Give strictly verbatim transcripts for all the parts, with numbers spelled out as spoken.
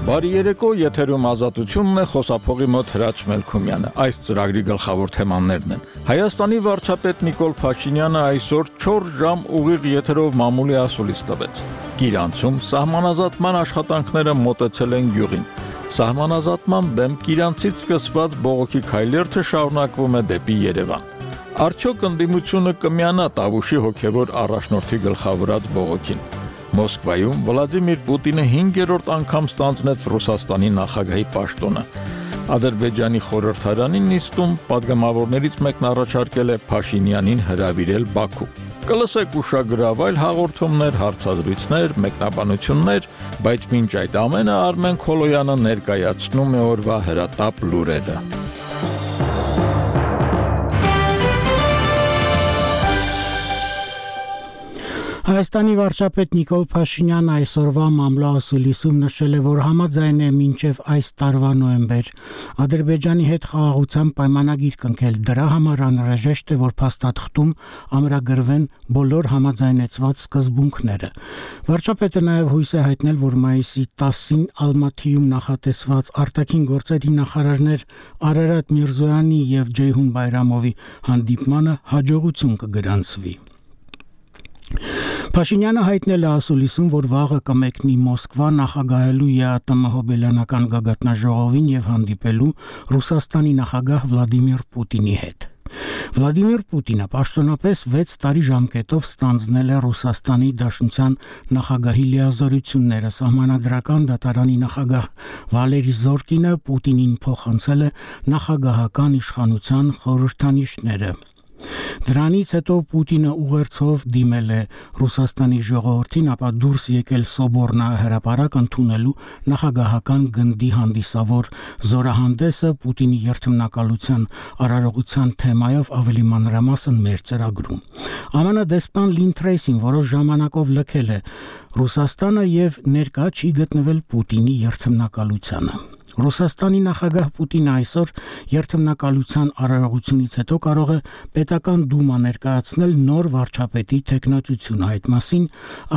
Բարի երեկո, եթերում ազատությունն է, խոսափողի մոտ Հրաչ Մելքումյանը։ Այս ծրագրի գլխավոր թեմաներն են. Հայաստանի վարչապետ Նիկոլ Փաշինյանը այսօր չորս ժամ ուղիղ եթերով մամուլի ասուլիս տվեց։ Կիրանցում սահմանազատման աշխատանքները մոտեցել են գյուղին։ Սահմանազատման դեմ Կիրանցից սկսված բողոքի քայլերթը շարունակվում է դեպի Երևան։ Արդյոք ընդդիմությունը կմիանա Տավուշի հոգևոր առաջնորդի գլխավորած բողոքին։ Մոսկվայում Վլադիմիր Պուտինը հինգերորդ անգամ ստանձնեց Ռուսաստանի նախագահի պաշտոնը։ Ադրբեջանի խորհրդարանի նիստում պատգամավորներից մեկն առաջարկել է Փաշինյանին հրավիրել Բաքու։ Կլսեք ուշագրավայր հաղորդումներ, հարցազրույցներ, մեկնաբանություններ, բայց մինչ այդ ամենը Արմեն Քոլոյանը ներկայացնում է օրվա հրատապ լուրերը։ Հայաստանի վարչապետ Նիկոլ Փաշինյանը այսօրվա մամլոասուլիսում նշել է, որ համաձայն է մինչև այս տարվա նոյեմբեր Ադրբեջանի հետ խաղաղության պայմանագիր կնքել։ Դրա համար անհրաժեշտ է, որ փաստաթղթում ամրագրվեն բոլոր համաձայնեցված սկզբունքները։ Վարչապետը նաև հույս է հայտնել, որ մայիսի տասին Ալմաթիում նախատեսված արտաքին գործերի նախարարներ Արարատ Միրզոյանի եւ Ջեյհուն Բայրամովի հանդիպմանը հաջողություն կգրանցվի։ Փաշինյանը հայտնել է ասուլիսում, որ վաղը կմեկնի Մոսկվա նախագահելու ԵԱՏՄ հոբելյանական գագաթնաժողովին եւ հանդիպելու Ռուսաստանի նախագահ Վլադիմիր Պուտինի հետ։ Վլադիմիր Պուտինը պաշտոնապես վեց տարի ժամկետով ստանձնել է Ռուսաստանի Դաշնության նախագահի լիազորությունները։ Սահմանադրական դատարանի նախագահ Վալերի Զորկինը Պուտինին փոխանցել է նախագահական իշխանության խորհրդանիշները։ Դրանից հետո Պուտինը ուղերձով դիմել է Ռուսաստանի ժողովրդին, ապա դուրս եկել Սոբորնա հրապարակ ընդունելու նախագահական գնդի հանդիսավոր զորահանդեսը Պուտինի երթմնակալության արարողության թեմայով ավելի մանրամասն մեր ծրագրում։ ԱՄՆ դեսպան Լին Թրեյսին որոշ ժամանակով լքել է Ռուսաստանը եւ ներկա չի գտնվել Պուտինի երթմնակալությանը։ Ռուսաստանի նախագահ Պուտինը այսօր երթմնակալության արարողությունից հետո կարող է պետական դումա ներկայացնել նոր վարչապետի թեկնածությունը։ Այդ մասին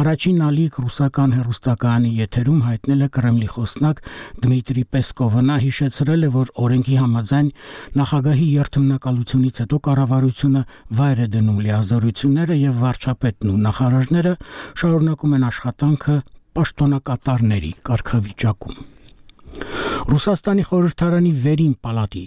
առաջին ալիք ռուսական հեռուստակայանի եթերում հայտնել է Կրեմլի խոսնակ Դմիտրի Պեսկովը։ Նա հիշեցրել է, որ օրենքի համաձայն նախագահի երթմնակալությունից հետո կառավարությունը վայր է դնում լիազորությունները եւ վարչապետն ու նախարարները շարունակում են աշխատանքը պաշտոնակատարների կարգավիճակում։ Ռուսաստանի խորհրդարանի վերին պալատի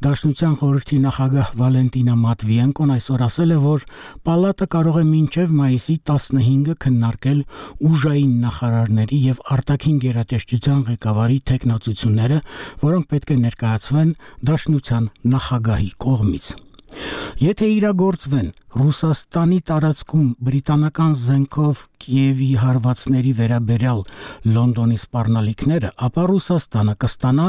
Դաշնության խորհրդի նախագահ Վալենտինա Մատվիենկոն այսօր ասել է, որ պալատը կարող է մինչև մայիսի տասնհինգը քննարկել ուժային նախարարների եւ արտաքին գերատեսչության ղեկավարի թեկնածությունները, որոնք պետք է ներկայացվեն Դաշնության նախագահի կողմից։ Եթե իրագործվեն Ռուսաստանի տարածքում բրիտանական զենքով Կիևի հարվածների վերաբերյալ Լոնդոնի սպառնալիքները, ապա Ռուսաստանը կստանա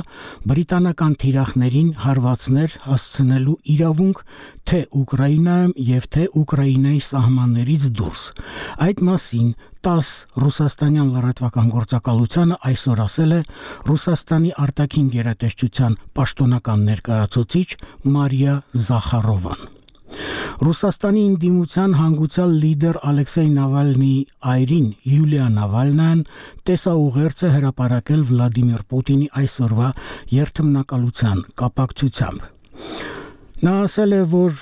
բրիտանական թիրախներին հարվածներ հասցնելու իրավունք թե Ուկրաինայում եւ թե Ուկրաինայի սահմաններից դուրս։ Այդ մասին տաս ռուսաստանյան լրատվական գործակալությանը այսօր ասել է Ռուսաստանի արտաքին գերատեսչության պաշտոնական ներկայացուցիչ Մարիա Զախարովան։ Ռուսաստանի ինդիմության հանգուցյալ լիդեր Ալեքսեյ Նավալնիի այրին Յուլիա Նավալնան տեսաուղերձ է հրապարակել Վլադիմիր Պուտինի այսօրվա երթմնակալության կապակցությամբ։ Նա ասել է, որ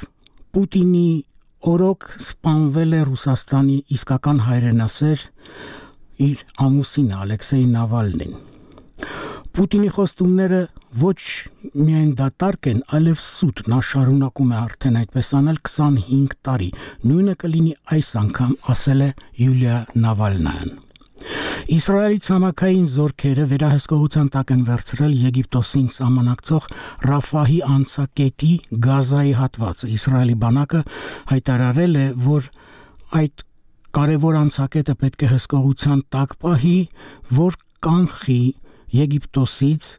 Պուտինի օրոք սպանվել է Ռուսաստանի իսկական հայրենասեր իր ամուսինը Ալեքսեյ Նավալնին։ Պուտինի խոստումները ոչ միայն դատարկ են, այլև սուտ, նա շարունակում է արդեն այդպես անել քսանհինգ տարի, նույնը կլինի այս անգամ, ասել է Յուլիա Նավալնան։ Իսրայելի ցամաքային զորքերը վերահսկողության տակ են վերցրել Եգիպտոսին սահմանակցող Ռաֆահի անցակետի Գազայի հատվածը։ Իսրայելի բանակը հայտարարել է, որ այդ կարևոր անցակետը պետք է հսկողության տակ պահի, որ կանխի Եգիպտոսից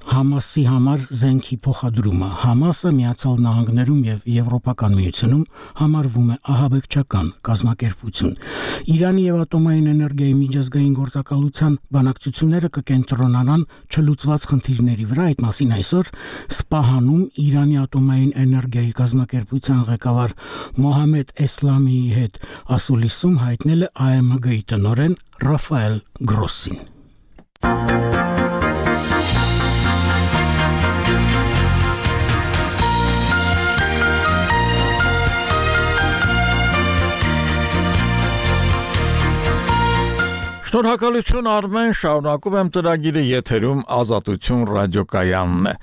Համասի համար զենքի փոխադրումը։ Համասը Միացյալ Նահանգներում եւ Եվրոպական միությունում համարվում է ահաբեկչական կազմակերպություն։ Իրանի եւ ատոմային էներգիայի միջազգային գործակալության բանակցությունները կկենտրոնանան չլուծված խնդիրների վրա։ Այդ մասին այսօր Սպահանում Իրանի ատոմային էներգիայի կազմակերպության ղեկավար Մոհամմեդ Էսլամիի հետ ասուլիսում հայտնել է ԱՄԳ-ի տնօրեն Ռաֆայել Գրոսին։ Շնորհակալություն Արմեն, շարունակում եմ ծրագիրը եթերում Ազատություն ռադիոկայանն է։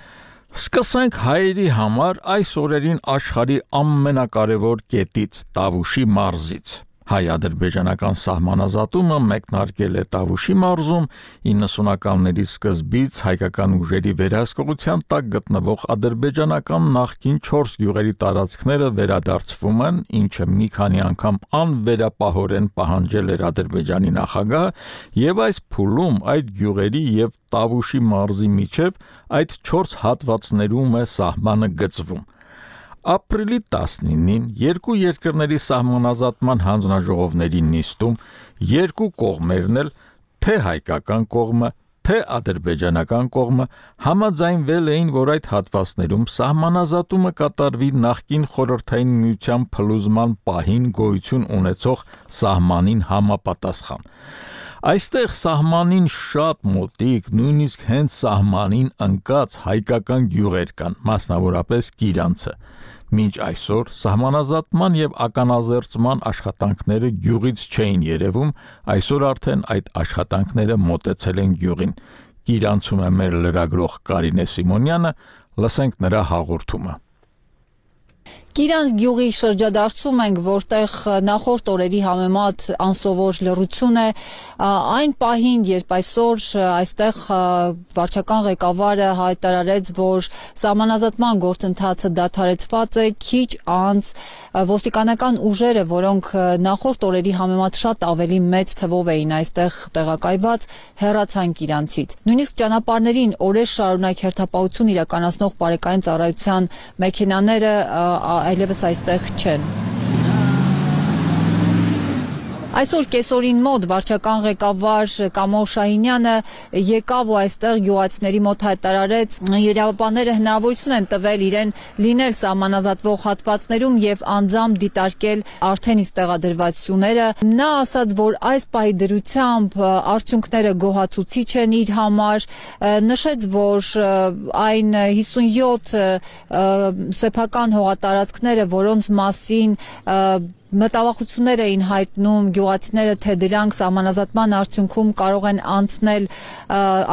Սկսենք հայերի համար այս օրերին աշխարհի ամենակարևոր կետից՝ Տավուշի մարզից։ Հայ-ադրբեջանական սահմանազատումը մեկնարկել է Տավուշի մարզում իննսունականների սկզբից հայկական ուժերի վերահսկողության տակ գտնվող ադրբեջանական նախկին չորս գյուղերի տարածքները վերադարձվում են, ինչը մի քանի անգամ անվերապահորեն պահանջել էր Ադրբեջանի նախագահը, եւ այս փուլում այդ գյուղերի եւ Տավուշի մարզի միջև այդ չորս հատվածներում է սահմանը գծվում։ Ապրիլի տասնինին երկու երկրների սահմանազատման հանձնաժողովների նիստում երկու կողմերն էլ, թե հայկական կողմը, թե ադրբեջանական կողմը համաձայնվել էին, որ այդ հատվածներում սահմանազատումը կատարվի նախկին խորհրդային միության փլուզման պահին գոյություն ունեցող սահմանին համապատասխան։ Այստեղ սահմանին շատ մոտիկ, նույնիսկ հենց սահմանին ընկած հայկական գյուղեր կան, մասնավորապես Կիրանցը։ Մինչ այսօր սահմանազատման եւ ականազերծման աշխատանքները գյուղից չէին երևում, այսօր արդեն այդ աշխատանքները մոտեցել են գյուղին։ Կիրանցում է մեր լրագրող Կարինե Սիմոնյանը, լսենք նրա հաղորդումը։ Կիրանց գյուղի շրջադարձում ենք, որտեղ նախորդ օրերի համեմատ անսովոր լռություն է, այն պահին, երբ այսօր այստեղ վարչական ղեկավարը հայտարարեց, որ սահմանազատման գործընթացը դադարեցված է, քիչ անց ոստիկանական ուժերը, որոնք նախորդ օրերի համեմատ շատ ավելի մեծ թվով էին այստեղ տեղակայված, հեռացան Կիրանցից։ Նույնիսկ ճանապարհներին օրեր շարունակ հերթապահություն իրականացնող բարեկային ծառայության մեքենաները այլևս այստեղ չեն։ Այսօր կեսօրին մոտ վարչական ղեկավար Կամալ Շահինյանը եկավ ու այստեղ գյուղացիների մոտ հայտարարեց, իրավապահները հնարավորություն են տվել իրեն լինել սահմանազատվող հատվածներում եւ անձամբ դիտարկել արդեն իսկ տեղադրվածությունները։ Նա ասաց, որ այս պահի դրությամբ արդյունքները գոհացուցիչ են իր համար, նշեց, որ այն հիսունյոթ սեփական հողատարածքները, որոնց մասին մտավախություններ էին հայտնում գյուղացիները, թե դրանք սահմանազատման արդյունքում կարող են անցնել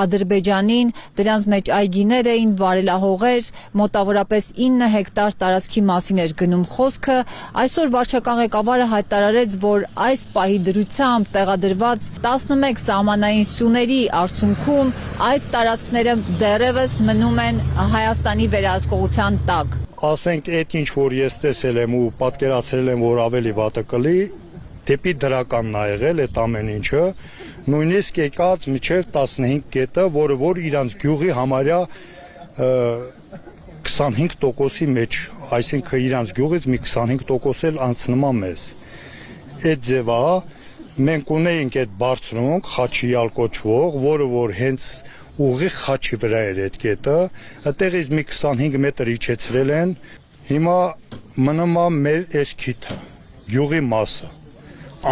Ադրբեջանին, դրանց մեջ այգիներ էին, վարելահողեր, մոտավորապես ինը հեկտար տարածքի մասին էր գնում խոսքը։ Այսօր վարչական ղեկավարը հայտարարեց, որ այս պահի դրությամբ տեղադրված տասնմեկ սահմանային սյուների արդյունքում այդ տարածքները դեռևս մնում են Հայաստանի վերահսկողության տակ։ Ասենք այդ ինչ որ ես տեսել եմ ու պատկերացրել եմ, որ ավելի վատը կլի, դեպի դրականն ա եղել այդ ամեն ինչը, նույնիսկ եկած մինչև տասնհինգ կետը, որը որ իրանց գյուղի համարյա քսանհինգ տոկոսի մեջ, այսինքն իրանց գյուղից մի քսանհինգ տոկոս էլ անցնում է մեզ։ Այդ ձևա մենք ունեինք այդ բարձրունք խաչիալ կոչվող, որը որ հենց ուղիղ խաչի վրա էր այդ կետը, այդտեղից մի քսանհինգ մետր իջեցրել են, հիմա մնում է մեր այս քիթը, գյուղի մասը,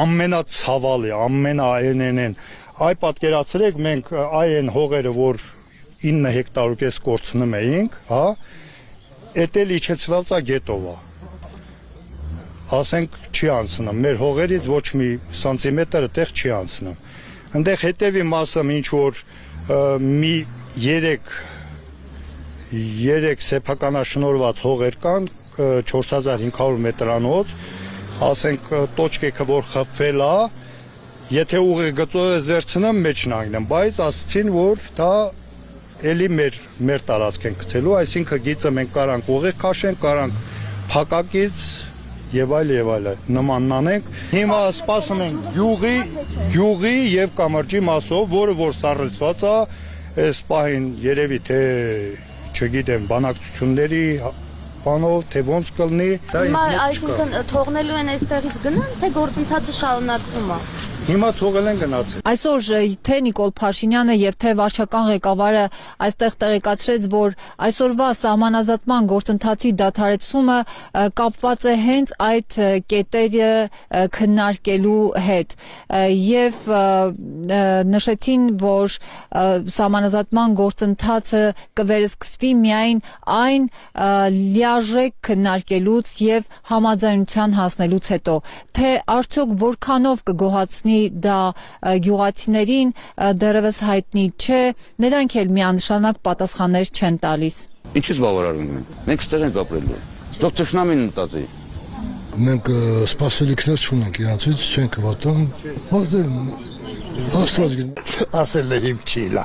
ամենացավալի, ամենաայնենեն, այ պատկերացրեք մենք այ են հողերը, որ ինը հեկտար ու կես կորցնում էինք, հա, էդ էլ իջեցված է գետով է, ասենք չի անցնում, մեր հողերից ոչ մի սանտիմետր այդտեղ չի անցնում, այնտեղ հետևի մասը ինչ որ մի երեք երեք սեփականաշնորհված հողեր կան չորս հազար հինգ հարյուր մետրանոց, ասենք տոճկեքը որ խփվել է, եթե ուղիղ գծով ես վերցնեմ մեջն անգնեմ, բայց ասցին որ դա էլի մեր մեր տարածք են գցելու, այսինքն գիծը մենք կարանք ուղիղ քաշենք, կարանք փակակից եւ այլ եւ այլ նմանն անենք։ Հիմա սպասում ենք գյուղի, գյուղի եւ կամրջի մասով, որը որ սառեցված է, այս պահին երևի թե չգիտեմ, բանակցությունների բանով, թե ոնց կլինի, դա հիմա այսինքն թողնելու են այստեղից գնան, թե գործընթացը շարունակվում է։ Հիմա թողել են գնացել։ Այսօր թե Նիկոլ Փաշինյանը եւ թե վարչական ղեկավարը այստեղ տեղեկացրեց, որ այսօրվա սահմանազատման գործընթացի դադարեցումը կապված է հենց այդ կետերը քննարկելու հետ եւ նշեցին, որ սահմանազատման գործընթացը կվերսկսվի միայն այն լիարժեք քննարկելուց եւ համաձայնության հասնելուց հետո, թե արդյոք որքանով կգոհացնի դա գյուղացիներին, դեռևս հայտնի չէ, նրանք էլ միանշանակ պատասխաններ չեն տալիս։ Ինչի՞ց բավարարում ենք։ Մենք ստեղ ենք ապրելու։ Թող թշնամին մտածի։ Մենք սպասելիքներ չունենք, իրանցից չենք վատում։ Աստված գիտի։ Ասել է իմ չիլա։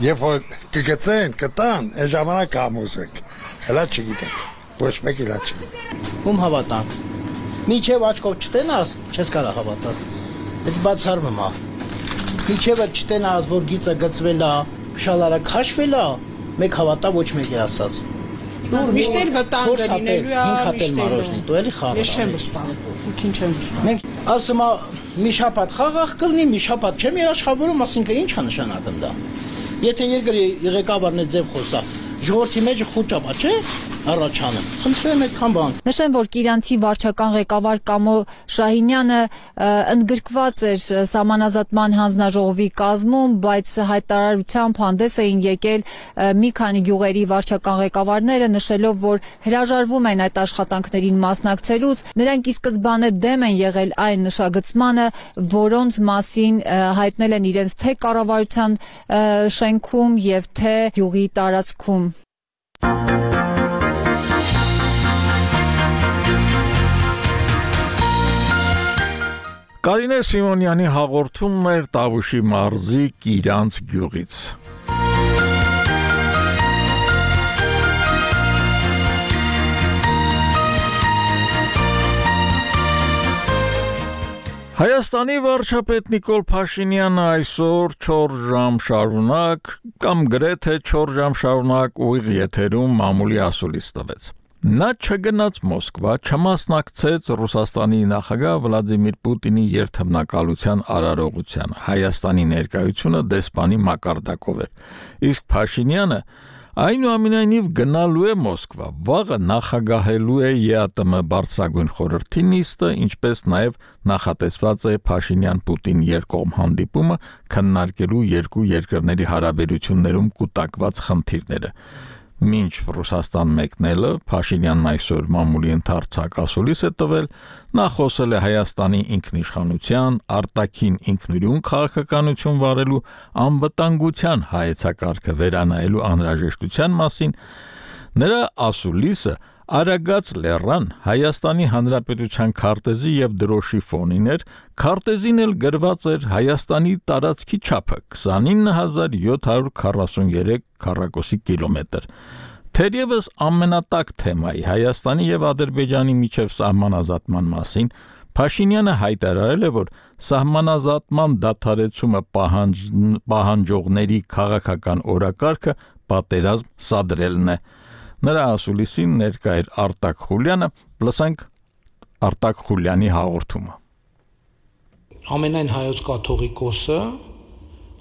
Երբ որ կգցեն, կտան, այն ժամանակ ամուսենք։ Հələ չգիտենք։ Ոչ մեկ իլա չգիտենք։ Ում հավատանք։ Միջև աչքով չտենաս, չես կարող հավատալ։ Այդ բացառվում է։ Միջև չտենաս, որ գիծը գծվել է, շալարը քաշվել է, մեկ հավատա ոչ մեկի ասած։ Միշտեր վտանգ լինելու է, միշտեր դու էլի խաղ։ Ես չեմ վստահում, ուրքին չեմ վստահում։ Մենք ասում է մի շաբաթ խաղաղ կլինի, մի շաբաթ չեմ երաշխավորում, ասինքն ի՞նչ է նշանակում դա։ Եթե երկրի ղեկավարն է ձև խոսա, ժողովրդի մեջ խոճապա չէ առաջանում։ Խնդրեմ այդքան բան։ Նշեմ, որ Կիրանցի վարչական ղեկավար Կամո Շահինյանը ընդգրկված էր սահմանազատման հանձնաժողովի կազմում, բայց հայտարարությամբ հանդես էին եկել մի քանի գյուղերի վարչական ղեկավարները, նշելով, որ հրաժարվում են այդ աշխատանքներին մասնակցելուց։ Նրանք ի սկզբանե դեմ են եղել այն նշագծմանը, որոնց մասին հայտնել են իրենց թե կառավարության շենքում եւ թե գյուղի տարածքում։ Կարինե Սիմոնյանի հաղորդումն էր Տավուշի մարզի Կիրանց գյուղից։ Հայաստանի վարչապետ Նիկոլ Փաշինյանը այսօր չորս ժամ շարունակ կամ գրեթե չորս ժամ շարունակ ուղիղ եթերում մամուլի ասուլիս տվեց։ Նա չգնաց Մոսկվա, չմասնակցեց Ռուսաստանի նախագահ Վլադիմիր Պուտինի երթմնակալության արարողությանը։ Հայաստանի ներկայությունը դեսպանի մակարդակով էր։ Իսկ Փաշինյանը այնուամենայնիվ գնալու է Մոսկվա, վաղը նախագահելու է ԵԱՏՄ բարձրագույն խորհրդի նիստը, ինչպես նաև նախատեսված է Փաշինյան-Պուտին երկկողմ հանդիպումը քննարկելու երկու երկրների հարաբերություններում կուտակված խնդիրները։ Մինչ Ռուսաստան մեկնելը Փաշինյանն այսօր մամուլի ընդարձակ ասուլիս է տվել, նա խոսել է Հայաստանի ինքնիշխանության, արտաքին ինքնուրույն քաղաքականություն վարելու, անվտանգության հայեցակարգը վերանայելու անհրաժեշտության մասին։ Նրա ասուլիսը Արագած լեռան Հայաստանի Հանրապետության քարտեզի եւ դրոշի ֆոնին էր, քարտեզին էլ գրված էր Հայաստանի տարածքի չափը քսանինը հազար յոթ հարյուր քառասուններեք քառակոսի կիլոմետր։ Թերևս ամենատակ թեմայի Հայաստանի եւ Ադրբեջանի միջև սահմանազատման մասին Փաշինյանը հայտարարել է, որ սահմանազատման դադարեցումը պահանջ, պահանջողների քաղաքական օրակարգը պատերազմ սադրելն է։ Նրա ասուլիսին ներկա էր Արտակ Խուլյանը, լսենք Արտակ Խուլյանի հաղորդումը։ Ամենայն հայոց կաթողիկոսը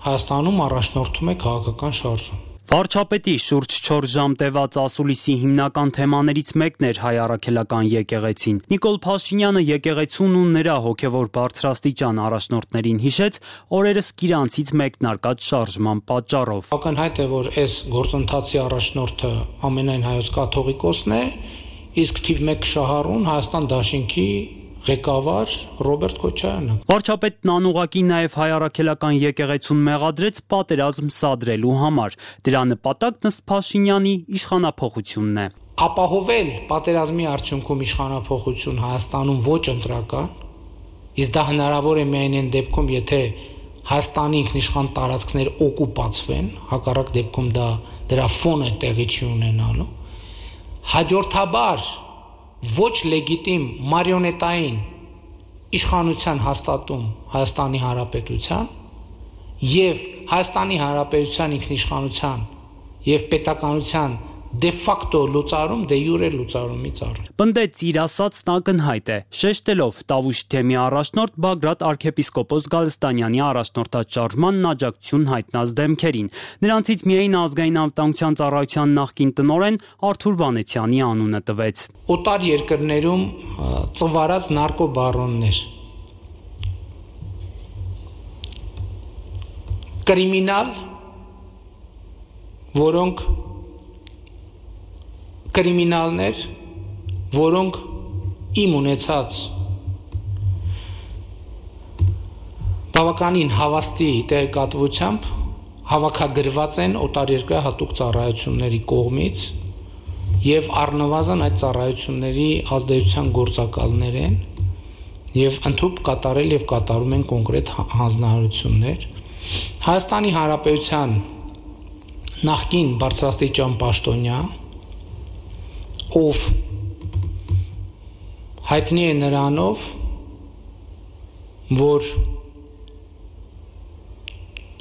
Հայաստանում առաջնորդում է քաղաքական շարժում։ Վարչապետի շուրջ չորս ժամ տևած ասուլիսի հիմնական թեմաներից մեկն էր հայ առաքելական եկեղեցին։ Նիկոլ Փաշինյանը եկեղեցուն ու նրա հոգևոր բարձրաստիճան առաջնորդներին հիշեց օրերս Կիրանցից մեկնարկած շարժման պատճառով։ Ակնհայտ է, որ այս գործընթացի առաջնորդը ամենայն հայոց կաթողիկոսն է, իսկ թիվ մեկ շահառուն Հայաստան Դաշինքի ղեկավար Ռոբերտ Քոչարյանը։ Վարչապետն անուղղակի նաև հայ առաքելական եկեղեցուն մեղադրեց պատերազմ սադրելու համար։ Դրա նպատակն ըստ Փաշինյանի իշխանափոխությունն է։ Ապահովել պատերազմի արդյունքում իշխանափոխություն Հայաստանում ոչ ընտրական, իսկ դա հնարավոր է միայն այն դեպքում, եթե Հայաստանի ինքնիշխան տարածքներ օկուպացվեն, հակառակ դեպքում դա դրա ֆոնը տեղի չի ունենալու։ Հաջորդաբար ոչ լեգիտիմ մարիոնետային իշխանության հաստատում Հայաստանի Հանրապետության եւ Հայաստանի Հանրապետության ինքնիշխանության եւ պետականության դե ֆակտո լուծարում, դե յուրե լուծարումից առ։ Պնդեց իր ասածն ակնհայտ է, շեշտելով Տավուշի թեմի առաջնորդ Բագրատ arczepiskopos Գալստանյանի առաջնորդած շարժմանն աջակցություն հայտնած դեմքերին։ Նրանցից միայն ազգային անվտանգության ծառայության նախկին տնօրեն Արթուր Վանեցյանի անունը տվեց։ Օտար երկրներում ծվարած նարկոբարոններ։ կրիմինալ, որոնք կրիմինալներ, որոնք իմ ունեցած բավականին հավաստի տեղեկատվությամբ հավաքագրված են օտարերկրյա հատուկ ծառայությունների կողմից եւ առնվազն այդ ծառայությունների ազդեցության գործակալներ են եւ ընդհանուր կատարել եւ կատարում են կոնկրետ հանձնարարություններ Հայաստանի Հանրապետության նախկին բարձրաստիճան պաշտոնյա ով հայտնի է նրանով որ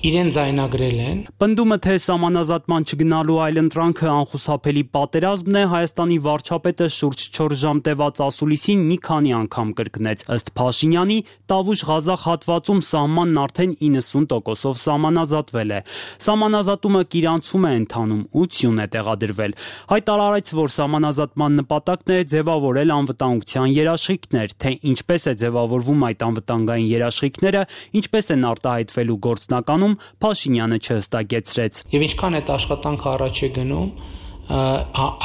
իրեն ձայնագրել են Պնդումը թե սահմանազատման չգնալու այլընտրանքը անխուսափելի պատերազմն է Հայաստանի վարչապետը շուրջ չորս ժամ տևած ասուլիսին մի քանի անգամ կրկնեց ըստ Փաշինյանի Տավուշ-Ղազախ հատվածում սահմանն արդեն իննսուն տոկոսով սահմանազատվել է Սահմանազատումը կիրանցում է ընթանում ու ցյուն է տեղադրվել հայտարարեց որ սահմանազատման նպատակն է ձևավորել անվտանգության երաշխիքներ թե ինչպես է ձևավորվում այդ անվտանգային երաշխիքները ինչպես են արտահայտվելու գործնականում Փաշինյանը չհստակեցրեց Եվ ինչքան այդ աշխատանքը առաջ է գնում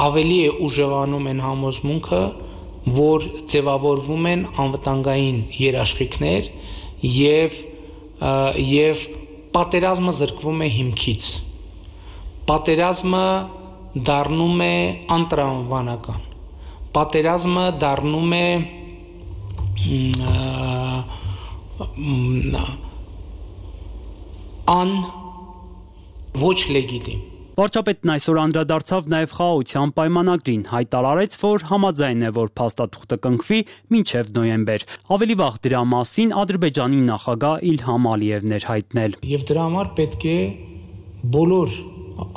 ավելի է ուժեղանում են համոզմունքը որ ձևավորվում են անվտանգային երաշխիքներ եւ եւ պատերազմը զրկվում է հիմքից պատերազմը դառնում է անտրամաբանական պատերազմը դառնում է Ան ոչ լեգիտիմ Վարչապետն այսօր անդրադարձավ նաև խաղաղության պայմանագրին, հայտարարեց, որ համաձայն է, որ փաստաթուղթը կնքվի մինչև նոյեմբեր։ Ավելի վաղ դրա մասին Ադրբեջանի նախագահ Իլհամ Ալիևն էր հայտնել։ Եվ դրա համար պետք է բոլոր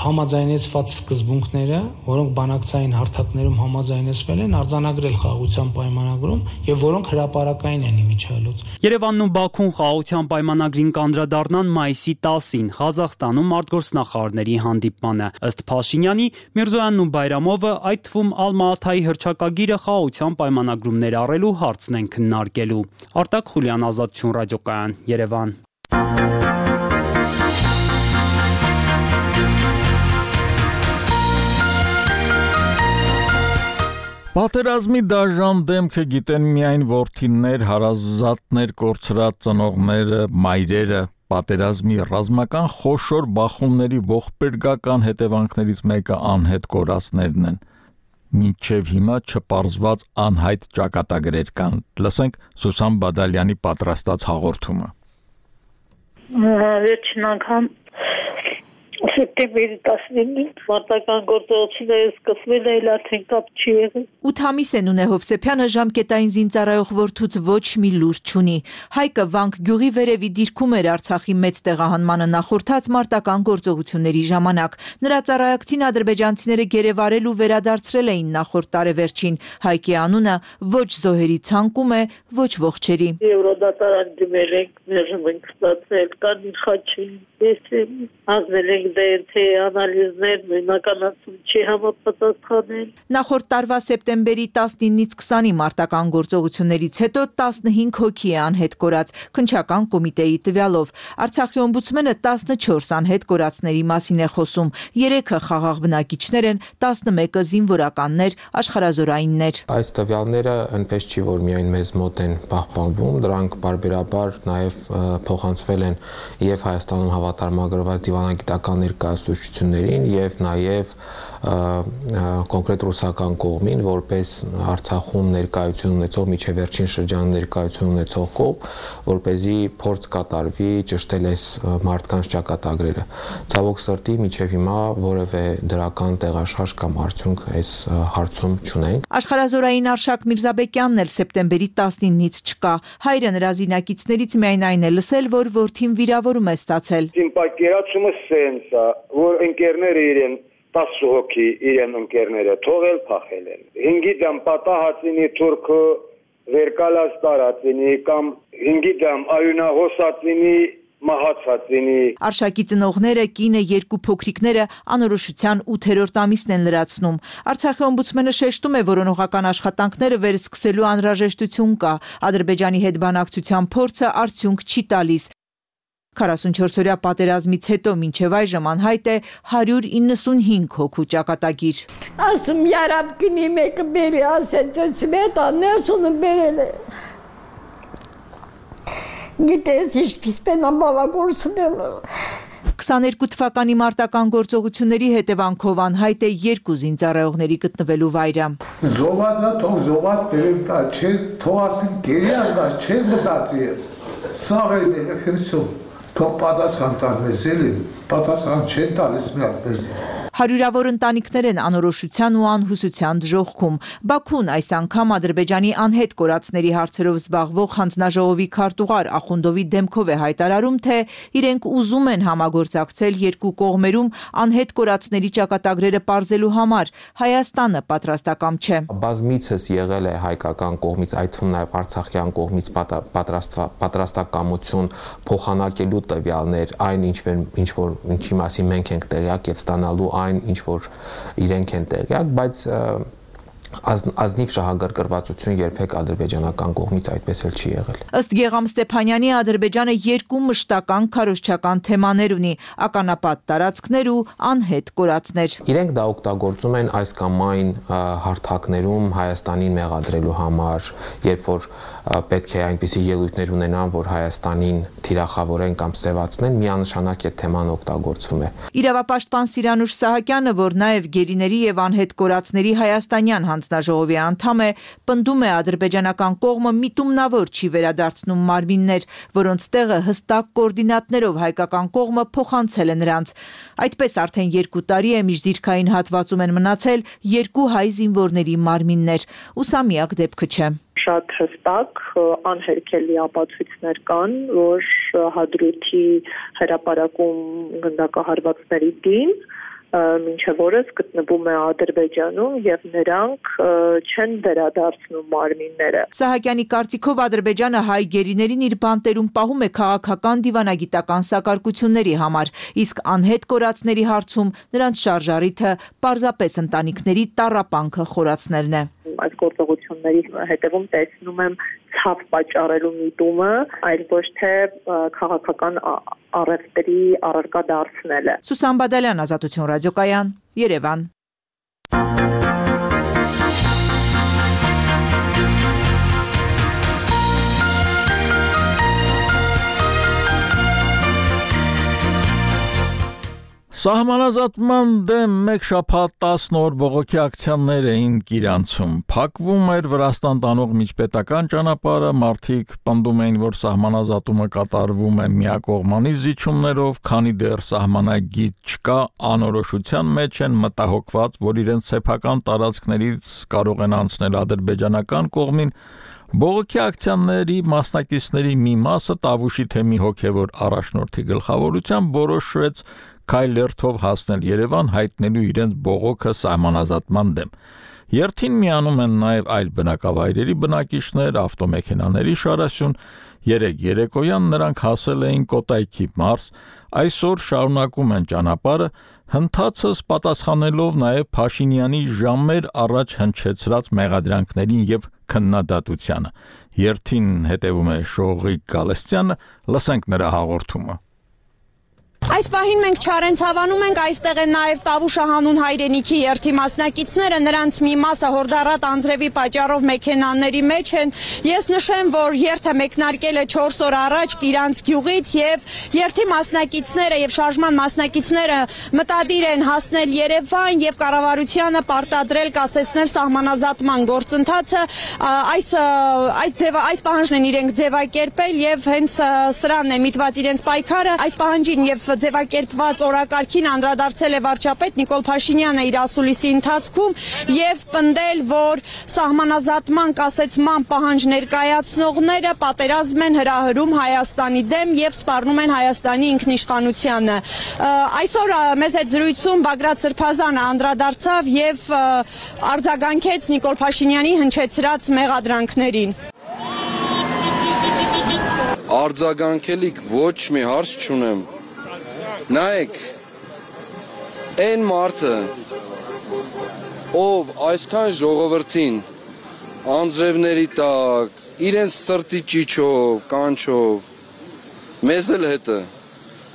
համաձայնեցված սկզբունքները, որոնք բանակցային հարթակներում համաձայնեցվել են, արձանագրել խաղաղության պայմանագրում եւ որոնք հրապարակային են իմիջիայլոց։ Երևանն ու Բաքուն խաղաղության պայմանագրին կանդրադառնան մայիսի տասին Ղազախստանում արտգործնախարարների հանդիպմանը։ Ըստ Փաշինյանի, Միրզոյանն ու Բայրամովը, այդ թվում Ալմա-Աթայի հռչակագիրը խաղաղության պայմանագրում ներառելու հարցն են քննարկելու։ Արտակ Խուլյան, Ազատություն ռադիոկայան, Երևան։ Պատերազմի դաժան դեմքը գիտեն միայն որդիներ, հարազատներ, կորցրած ծնողները, մայրերը, պատերազմի ռազմական խոշոր բախումների ողբերգական հետևանքներից մեկը անհետ կորածներն են։ Մինչև հիմա չպարզված անհայտ ճակատագրեր կան։ Լսենք Սուսան Բադալյանի պատրաստած հաղորդումը։ Վերջին անգամ Սեպտեմբերի տասնինին մարտական գործողությունները սկսվել է, արդեն կապ չի եղել։ ութ ամիս է Նունե Հովսեփյանը ժամկետային զինծառայող որդուց ոչ մի լուր չունի։ Հայկը Վանք գյուղի վերևի դիրքում էր Արցախի մեծ տեղահանմանը նախորդած մարտական գործողությունների ժամանակ։ Նրա ծառայակցին ադրբեջանցիները գերեվարել ու վերադարձրել էին նախորդ տարեվերջին։ Հայկի անունը ոչ զոհերի ցանկում է, ոչ ողջերի։ Եվրոդատարան դիմել ենք, մերժում ենք ստացել, կան իշխաչի, ես ազնել ենք դեր թե անալիզներ մենականացում չի համապատասխանել։ Նախորդ տարվա սեպտեմբերի տասնինից քսանի մարտական գործողություններից հետո տասնհինգ հոգի է անհետ կորած քննչական կոմիտեի տվյալով։ Արցախի օմբուդսմենը տասնչորս անհետ կորածների մասին է խոսում։ երեքը խաղաղ բնակիչներ են, տասնմեկը զինվորականներ, աշխարհազորայիններ։ Այս տվյալները այնպես չի, որ միայն մեզ մոտ են պահպանվում, դրանք բարբերաբար նաև փոխանցվել են եւ Հայաստանում հավատարմագրված դիվանագիտական ներկայացուցչություններին եւ նաեւ կոնկրետ ռուսական կողմին որպես Արցախում ներկայություն ունեցող միջև վերջին շրջան ներկայություն ունեցող կողմ, որպեսզի փորձ կատարվի ճշտել այս մարդկանց ճակատագրերը։ Ցավոք սրտի միջև հիմա որևէ դրական տեղաշարժ կամ արդյունք այս հարցում չունենք։ Աշխարհազորային Արշակ Միրզաբեկյանն էլ սեպտեմբերի տասնինից չկա։ Հայրը նրա զինակիցներից միայն այն է լսել, որ որդին վիրավորում է ստացել։ Պատկերացումը սենս է, որ ընկերները իրեն տասը հոգի իրեն ընկերները թողել փախել են։ Հինգի դամ պատահածինի թուրքը վերկալած տարածինի կամ հինգի դամ այունահոսածինի մահացածինի։ Արշակի ծնողները, կինը, երկու փոքրիկները անորոշության ութերորդ ամիսն են լրացնում։ Արցախի օմբուդսմենը շեշտում է, որ օրոնողական աշխատանքները վերսկսելու անհրաժեշտություն կա։ Ադրբեջանի հետ բանակցության փորձը արդյունք չի տալիս։ քառասունչորս-օրյա պատերազմից հետո մինչև այժմ անհայտ է հարյուր իննսունհինգ հոգու ճակատագիր։ Ասում երապ գնի մեկը բերի, ասեց սվետա ներսունը բերել է։ Գիտես ինչպես պենա բավագործնել։ քսաներկու թվականի մարտական գործողությունների հետևանքով անհայտ է երկու զինծառայողների գտնվելու վայրը։ Զոհվածա թող զոհված բերեմ տա, չէ թող ասին գերի անգաշ, չէ մտածի ես։ Սաղ էլ է քրսով, թող պատասխան տան մեզ էլի, պատասխան չեն տալիս միակ մեզ։ Հարյուրավոր ընտանիքներ են անորոշության ու անհուսության դժոխքում։ Բաքուն այս անգամ Ադրբեջանի անհետ կորածների հարցերով զբաղվող հանձնաժողովի քարտուղար Ախունդովի դեմքով է հայտարարում, թե իրենք ուզում են համագործակցել երկու կողմերում անհետ կորածների ճակատագրերը պարզելու համար։ Հայաստանը պատրաստակամ չէ։ Բազմիցս եղել է հայկական կողմից, այդ թվում նաև արցախյան կողմից պատրաստակամություն փոխանակելու տվյալներ, այն ինչ որ ինչի մասին մենք ենք տեղյակ եւ ստանալու այն ինչ որ իրենք են տեղյակ, բայց ազնիվ շահագրգռվածություն երբեք ադրբեջանական կողմից այդպես էլ չի եղել։ Ըստ Գեգամ Ստեփանյանի Ադրբեջանը երկու մշտական քարոզչական թեմաներ ունի՝ ականապատ տարածքներ ու անհետ կորածներ։ Իրենք դա օգտագործում են այս կամ այն հարթակներում Հայաստանին մեղադրելու համար, երբ որ պետք է այնպիսի ելույթներ ունենան, որ Հայաստանին թիրախավորեն կամ ստեվացնեն, միանշանակ այդ թեման օգտագործվում է։ Իրավապաշտպան Սիրանուշ Սահակյանը, որ նաև գերիների եւ անհետ կորածների հայաստանյան հանձնաժողովի անդամ է, պնդում է ադրբեջանական կողմը միտումնավոր չի վերադարձնում մարմիններ, որոնց տեղը հստակ կոորդինատներով հայկական կողմը փոխանցել է նրանց։ Այդպես արդեն երկու տարի է միջդիրքային հատվածում են մնացել երկու հայ զինվորների մարմիններ, ու սա միակ դեպքը չէ։ Շատ հստակ անհերքելի ապացույցներ կան, որ Հադրութի հրապարակում գնդակահարվածների դին մինչև օրս գտնվում է Ադրբեջանում եւ նրանք չեն վերադարձնում մարմինները։ Սահակյանի կարծիքով Ադրբեջանը հայ գերիներին իր բանտերում պահում է քաղաքական դիվանագիտական սակարկությունների համար, իսկ անհետ կորածների հարցում նրանց շարժառիթը պարզապես ընտանիքների տառապանքը խորացնելն է։ Այս գործողությունների հետևում տեսնում եմ ցավ պատճառելու միտումը, այլ ոչ թե քաղաքական առևտրի առարկա դարձնելը։ Սուսան Բադալյան, Ազատություն ռադիոկայան, Երևան։ Սահմանազատման դեմ մեկ շաբաթ տասն օր բողոքի ակցիաներ էին Կիրանցում։ Փակվում էր Վրաստան տանող միջպետական ճանապարհը, մարդիկ պնդում էին, որ սահմանազատումը կատարվում է միակողմանի զիջումներով, քանի դեռ սահմանագիծ չկա, անորոշության մեջ են, մտահոգված, որ իրենց սեփական տարածքներից կարող են անցնել ադրբեջանական կողմին։ Բողոքի ակցիաների մասնակիցների մի մասը Տավուշի թեմի հոգևոր առաջնորդի գլխավորությամբ որոշեց քայլերթով հասնել Երևան, հայտնելու իրենց բողոքը սահմանազատման դեմ։ Երթին միանում են նաև այլ բնակավայրերի բնակիչներ, ավտոմեքենաների շարասյուն։ Երեկ երեկոյան նրանք հասել էին Կոտայքի մարզ, այսօր շարունակում են ճանապարհը, հնդածս պատասխանելով նաև Փաշինյանի ժամեր առաջ հնչեցրած մեղադրանքներին եւ քննադատությանը։ Երթին հետևում է Շողիկ Գալստյանը, լսենք նրա հաղորդումը։ Այս պահին մենք Չարենց հավանում ենք, այստեղ են նաև Տավուշ հանուն հայրենիքի երթի մասնակիցները, նրանց մի մասը հորդառատ անձրևի պատճառով մեքենաների մեջ են։ Ես նշեմ, որ երթը մեկնարկել է չորս օր առաջ Կիրանց գյուղից եւ երթի մասնակիցները եւ շարժման մասնակիցները մտադիր են հասնել Երևան եւ կառավարությանը պարտադրել կասեցնել սահմանազատման գործընթացը։ Այս այս ձևը այս պահանջն են իրենք ձևակերպել եւ հենց սրանն է միտված իրենց պայքարը։ Այս պահանջին եւ ձևակերպված օրակարգին անդրադարձել է վարչապետ Նիկոլ Փաշինյանը իր ասուլիսի ընթացքում եւ պնդել, որ սահմանազատման կասեցման պահանջ ներկայացնողները պատերազմ են հրահրում Հայաստանի դեմ եւ սպառնում են Հայաստանի ինքնիշխանությանը։ Այսօր մեզ հետ զրույցում Բագրատ Սրբազանը անդրադարձավ եւ արձագանքեց Նիկոլ Փաշինյանի հնչեցրած մեղադրանքներին։ Արձագանքելիք ոչ մի հարց չունեմ։ Նայեք, այն մարդը, ով այսքան ժողովրդին անձրևների տակ, իրենց սրտի ճիչով, կանչով, մեզ էլ հետը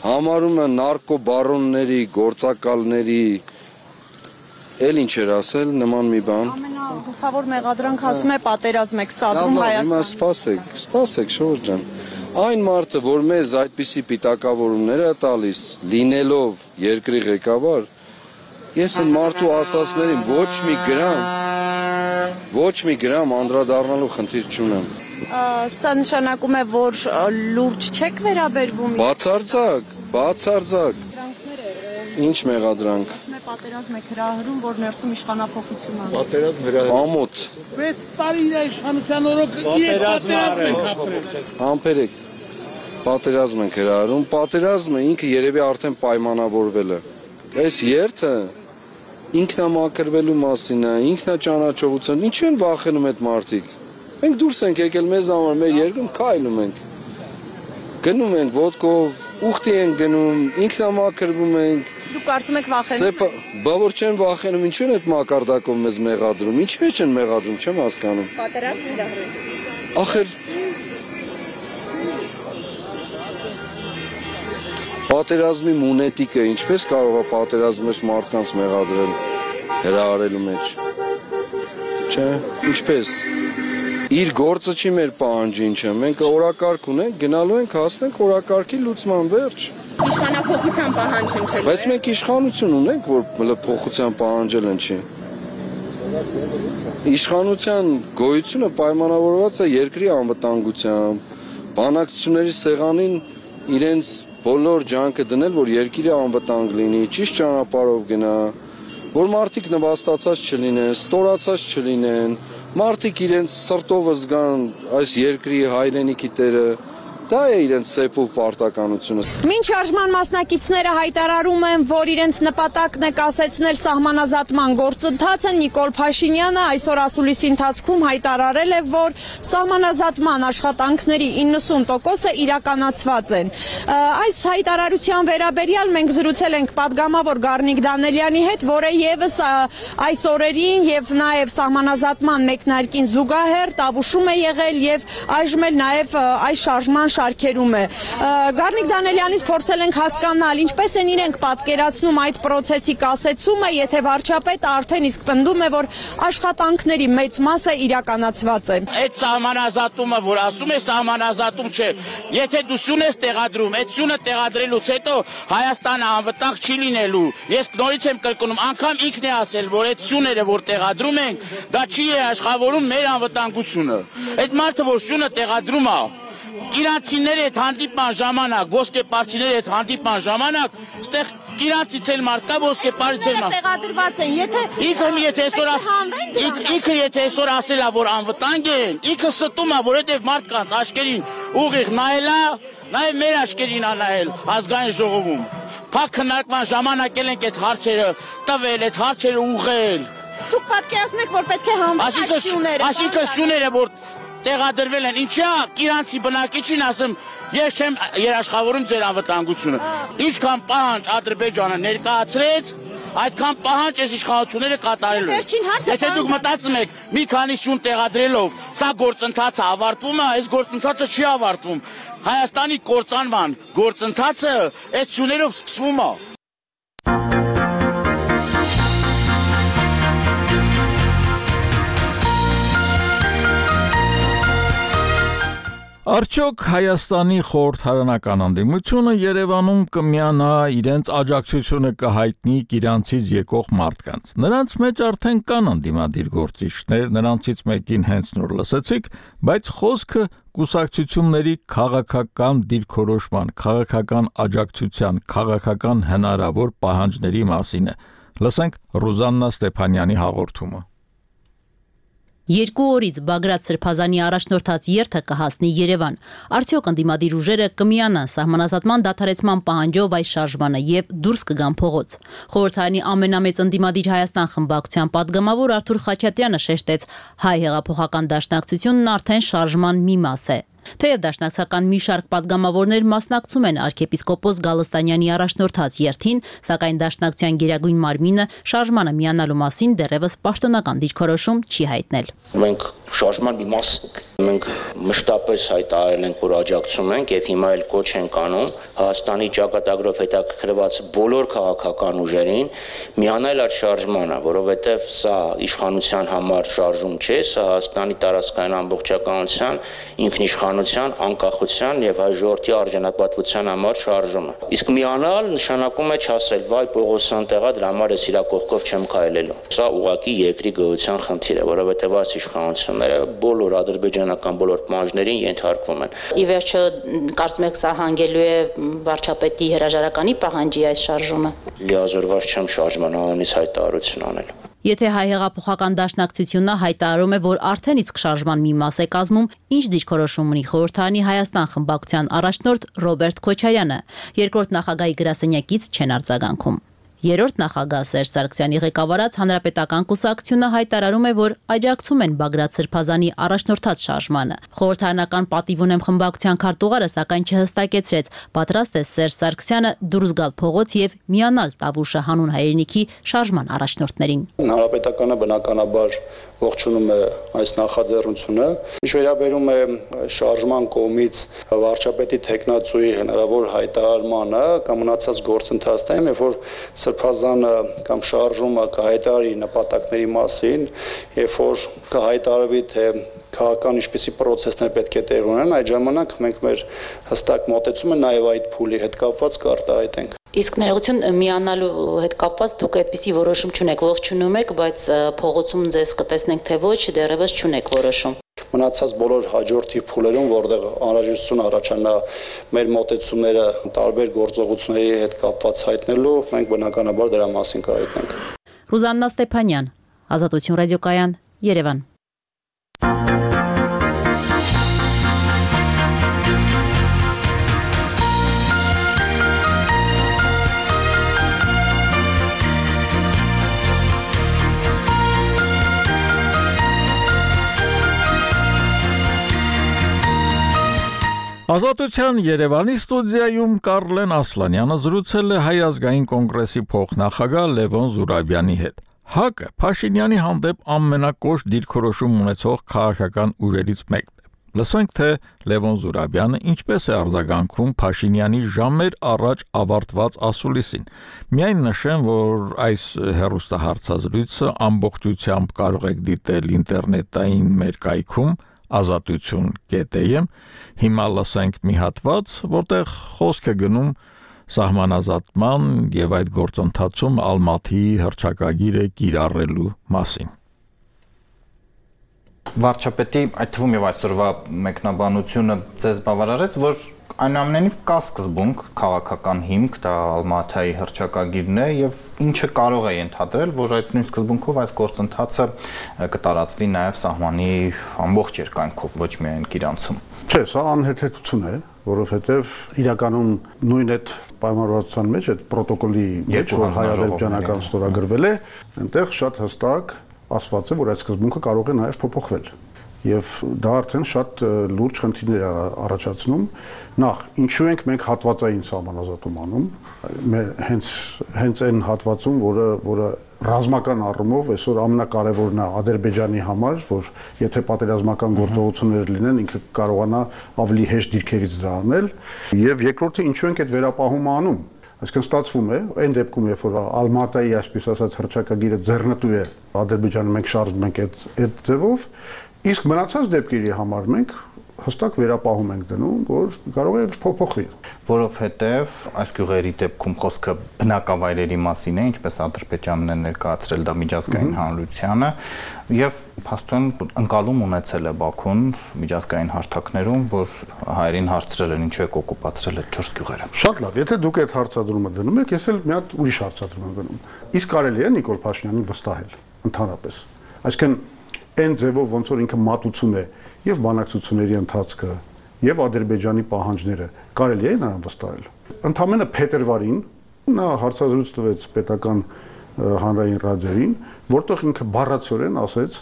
համարում են նարկոբարոնների, գործակալների, էլ ինչ էր ասել, նման մի բան։ Ամենագլխավոր մեղադրանք ասում է պատերազմ եք սադրում Հայաստան։ Հիմա սպասեք, սպասեք Շորջ ջան։ Այն մարդը, որ մեզ այդպիսի պիտակավորումներ է տալիս, լինելով երկրի ղեկավար, ես այն մարդու ասածներին ոչ մի գրամ, ոչ մի գրամ անդրադառնալու խնդիր չունեմ։ Սա նշանակում է, որ լուրջ չեք վերաբերվում։ Բացարձակ, բացարձակ։ Ինչ մեղադրանք։ Պատերազմ եք հրահրում, որ ներսում իշխանափոխություն անի։ Պատերազմ հրահրում։ Ամոթ։ վեց տարի իր իշխանության օրոք պատերազմ ենք ապրել։ Համբերեք։ Պատերազմ ենք հրահրում, պատերազմը ինքը երևի արդեն պայմանավորվել է։ Այս երթը ինքնամաքրվելու մասին է, ինքնաճանաչողություն, ինչ են վախենում այդ մարդիկ։ Մենք դուրս ենք եկել մեզ համար, մեր երկրում քայլում ենք։ Գնում ենք ոդկով, ուխտի ենք գնում, ինքնամաքրվում ենք։ Դուք կարծում եք վախենում։ Բա որ չեն վախենում, ինչու են այդ մակարդակով մեզ մեղադրում, ինչի մեջ են մեղադրում, չեմ հասկանում։ Պատերազմ հրահրում։ Ախր պատերազմի մունետիկը ինչպես կարող է պատերազմի մեջ մարդկանց մեղադրել հրահրելու մեջ։ Չէ, ինչպես։ Իր գործը չի մեր պահանջը ինչը, մենք օրակարգ ունենք, գնալու ենք, հասնենք օրակարգի լուծման վերջ։ Իշխանափոխության պահանջ ընչել է։ Բայց մենք իշխանություն ունենք, որ փոխության պահանջել են չի։ Իշխանության գոյությունը պայմանավորված է երկրի անվտանգությամբ, բանակցությունների սեղանին իրենց բոլոր ջանքը դնել, որ երկիրը անվտանգ լինի, ճիշտ ճանապարհով գնա, որ մարդիկ նվաստացած չլինեն, ստորացած չլինեն, մարդիկ իրենց սրտով զգան այս երկրի հայրենիքի տերը, դա է իրենց սեփով պարտականությունը։ Մինչ շարժման մասնակիցները հայտարարում են, որ իրենց նպատակն է կասեցնել սահմանազատման գործընթացը, Նիկոլ Փաշինյանը այսօր ասուլիսի ընթացքում հայտարարել է, որ սահմանազատման աշխատանքների իննսուն տոկոսը իրականացված են։ Այս հայտարարության վերաբերյալ մենք զրուցել ենք падգամավոր Գառնիկ Դանելյանի հետ, որը եւս այս օրերին եւ նաեւ սահմանազատման մեկնարկին զուգահեռ տավուշում է եղել եւ այժմ էլ նաեւ այս շարժման շարքերում է։ Գառնիկ Դանելյանից փորձել ենք հասկանալ, ինչպես են իրենք պատկերացնում այդ process-ի կասեցումը, եթե վարչապետը արդեն իսկ պնդում է, որ աշխատանքների մեծ մասը իրականացված է։ Այդ սահմանազատումը, որ ասում է սահմանազատում չէ, եթե դու սյուն ես տեղադրում, այդ սյունը տեղադրելուց հետո Հայաստանը անվտանգ չի լինելու։ Ես նորից եմ կրկնում, անգամ ինքն է ասել, որ այդ սյուները, որ տեղադրում ենք, դա չի աշխատավորում մեր անվտանգությունը։ Այդ մարդը, որ սյունը տեղադրում է, Իրանցիների հետ հանդիպման ժամանակ, ոսկեպարցիների հետ հանդիպման ժամանակ, ստեղ իրանցից էլ մարդ կա, ոսկեպարից էլ մարդ։ Տեղադրված են, եթե ինքը եթե այսօր ինքը եթե այսօր ասել է, որ անվտանգ են, ինքը ստում է, որովհետև մարդկանց աչքերին ուղիղ նայել է, նաև մեր աչքերին է նայել ազգային ժողովում։ Փակ քննարկման ժամանակ էլ ենք այդ հարցերը տվել, այդ հարցերը ուղղել։ Դուք պատկերացնում եք, որ պետք է հանվել սյուները։ Այսինքն սյուները, որ տեղադրվել են, ինչա իրանցի բնակիչին ասեմ, ես չեմ երաշխավորում ձեր անվտանգությունը։ Ինչքան պահանջ Ադրբեջանը ներկայացրեց, այդքան պահանջ այս իշխանությունները կատարելու են։ Եթե դուք մտածում եք մի քանի սյուն տեղադրելով, սա գործընթացը ավարտվում է, այս գործընթացը չի ավարտվում։ Հայաստանի կործանման գործընթացը այդ սյուներով սկսվում է։ Արդյոք Հայաստանի խորհրդարանական անդիմությունը Երևանում կմիանա իրենց աջակցությունը կհայտնի իրանցից եկող մարդկանց։ Նրանց մեջ արդեն կան անդիմադիր գործիչներ, նրանցից մեկին հենց նոր լսեցիք, բայց խոսքը կուսակցությունների քաղաքական դիրքորոշման, քաղաքական աջակցության, քաղաքական հնարավոր պահանջների մասին է։ Լսենք Ռուզաննա Ստեփանյանի հաղորդումը։ Երկու օրից Բագրատ Սրբազանի առաջնորդած երթը կհասնի Երևան։ Արդյոք ընդդիմադիր ուժերը կմիանան սահմանազատման դադարեցման պահանջով այս շարժմանը եւ դուրս կգան փողոց։ Խորհրդարանի ամենամեծ ընդդիմադիր Հայաստան խմբակցության падգամավոր Արթուր Խաչատրյանը շեշտեց, հայ հեղափոխական դաշնակցությունն արդեն շարժման մի մաս է։ Թեև դաշնակցական մի շարք падգամավորներ մասնակցում են arczepiskopos Գալստանյանի առաջնորդած երթին, սակայն դաշնակցության գերագույն մարմինը շարժմանը միանալու մասին դեռևս պաշտոնական դիրքորոշում չի հայտնել։ Մենք շարժման մի մաս ենք։ Մենք մշտապես հայտարարել ենք, որ աջակցում ենք եւ հիմա էլ կոչ ենք անում Հայաստանի ճակատագրով հետաքրքրված բոլոր քաղաքական ուժերին միանել այդ շարժմանը, որովհետեւ սա իշխանության համար շարժում չէ, սա Հայաստանի տարածքային ամբողջականության, ինքնիշխանության, անկախության եւ հայ ժողովրդի արժանապատվության համար շարժում է։ Իսկ միանալ նշանակում է չասել՝ վայ Պողոսյան տեղա, դրա համար ես իրա կողքով չեմ քայլելու։ Սա ուղղակի երկրի գոյության խնդիր է, որովհետեւ այս իշխանությունները բոլոր ադրբեջանական բոլոր պահանջներին ենթարկվում են։ Ի վերջո կարծում եք սա հանգելու է վարչապետի հրաժարականի պահանջի այս շարժումը։ Լիազորված չեմ շարժման անունից հայտարարություն անել։ Եթե հայ հեղափոխական դաշնակցությունը հայտարարում է, որ արդեն իսկ շարժման մի մաս է կազմում, ինչ դիրքորոշում ունի խորհրդարանի Հայաստան խմբակցության առաջնորդ Ռոբերտ Քոչարյանը, երկրորդ նախագահի գրասենյակից չեն արձագանքում։ Երրորդ նախագահ Սերժ Սարգսյանի ղեկավարած Հանրապետական կուսակցությունը հայտարարում է, որ աջակցում են Բագրատ Սրբազանի առաջնորդած շարժմանը։ Խորհրդարանական պատիվ ունեմ խմբակցության քարտուղարը սակայն չհստակեցրեց, պատրաստ է Սերժ Սարգսյանը դուրս գալ փողոց եւ միանալ Տավուշը հանուն հայրենիքի շարժման առաջնորդներին։ Հանրապետականը բնականաբար ողջունում է այս նախաձեռնությունը։ Ինչ վերաբերում է շարժման կողմից վարչապետի տեխնացուի հնարավոր հայտարարմանը կամ մնացած գործընթացներին, երբ որ Սրբազանը կամ շարժումը կհայտարարի նպատակների մասին, երբ որ կհայտարարվի թե քաղաքական ինչպիսի process-ներ պետք է տեղ ունենան, այդ ժամանակ մենք մեր հստակ մոտեցումը նաև այդ փուլի հետ կապված կարտահայտենք։ Իսկ ներողություն միանալու հետ կապված դուք այդպիսի որոշում չունեք, ողջունում եք, բայց փողոցում ձեզ կտեսնենք թե ոչ, դեռևս չունեք որոշում։ Մնացած բոլոր հաջորդի փուլերում, որտեղ անհրաժեշտություն առաջանա մեր մոտեցումները տարբեր գործողությունների հետ կապված հայտնելու, մենք բնականաբար դրա մասին կհայտնենք։ Ռուզաննա Ստեփանյան, Ազատություն ռադիոկայան, Երևան։ Ազատության Երևանի ստուդիայում Կարլեն Ասլանյանը զրուցել է Հայ ազգային կոնգրեսի փոխնախագահ Լևոն Զուրաբյանի հետ։ ՀԱԿ-ը Փաշինյանի հանդեպ ամենակոշտ դիրքորոշում ունեցող քաղաքական ուժերից մեկն է։ Լսենք, թե Լևոն Զուրաբյանը ինչպես է արձագանքում Փաշինյանի ժամեր առաջ ավարտված ասուլիսին։ Միայն նշեմ, որ այս հեռուստահարցազրույցը ամբողջությամբ կարող եք դիտել ինտերնետային մեր կայքում ազատություն կետեմ, հիմա լսենք մի հատված, որտեղ խոսք է գնում սահմանազատման եւ այդ գործընթացում Ալմատիի հռչակագիրը կիրառելու մասին։ Վարչապետի այդ թվում եւ այսօրվա մեկնաբանությունը ձեզ բավարարեց, որ այնուամենայնիվ կա սկզբունք, քաղաքական հիմք, դա Ալմատիի հռչակագիրն է եւ ինչը կարող է ենթադրել, որ այդ նույն սկզբունքով այս գործընթացը կտարածվի նաեւ սահմանի ամբողջ երկայնքով, ոչ միայն Գիրանցում։ Չէ, սա անհեթեթություն է, որովհետեւ իրականում նույն այդ պայմանավորվածության մեջ այդ պրոտոկոլի մեջ, որ հայ-ադրբեջանական ստորագրվել է, այնտեղ շատ հստակ ասված է, որ այդ սկզբունքը կարող է նաեւ փոփոխվել։ Եվ դա արդեն շատ լուրջ խնդիրներ է առաջացնում։ Նախ, ինչու ենք մենք հատվածային սահմանազատում անում, հենց հենց այն հատվածում, որը որը ռազմական առումով այսօր ամենակարևորն է Ադրբեջանի համար, որ եթե պատերազմական գործողություններ լինեն, ինքը կարողանա ավելի հեշտ դիրքերից դա անել, եւ երկրորդը ինչու ենք այդ վերապահումը անում։ Այսինքն ստացվում է, այն դեպքում, երբ որ Ալմատիի այսպես ասած հռչակագիրը ձեռնտու է Ադրբեջանը, մենք շարժվում ենք այդ այդ ձևով, իսկ մնացած դեպքերի համար մենք հստակ վերապահում ենք դնում, որ կարող է փոփոխվի, որովհետև այս գյուղերի դեպքում խոսքը բնակավայրերի մասին է, ինչպես Ադրբեջանն է ներկայացրել դա միջազգային հանրությանը, եւ փաստորեն ընկալում ունեցել է Բաքուն միջազգային հարթակներում, որ հայերին հարցրել են ինչու եք օկուպացրել այդ չորս գյուղերը։ Շատ լավ, եթե դուք այդ հարցադրումը դնում եք, ես էլ մի հատ ուրիշ հարցադրում եմ գնում։ Իսկ կարելի է Նիկոլ Փաշինյանին վստահել ընդհանրապես։ Այսինքն այն ձևով ոնց որ ինքը մատուցում է եւ բանակցությունների ընթացքը եւ Ադրբեջանի պահանջները կարելի է նրան վստահել։ Ընդամենը փետրվարին նա հարցազրույց տվեց պետական հանրային ռադիոյին, որտեղ ինքը բառացիորեն ասեց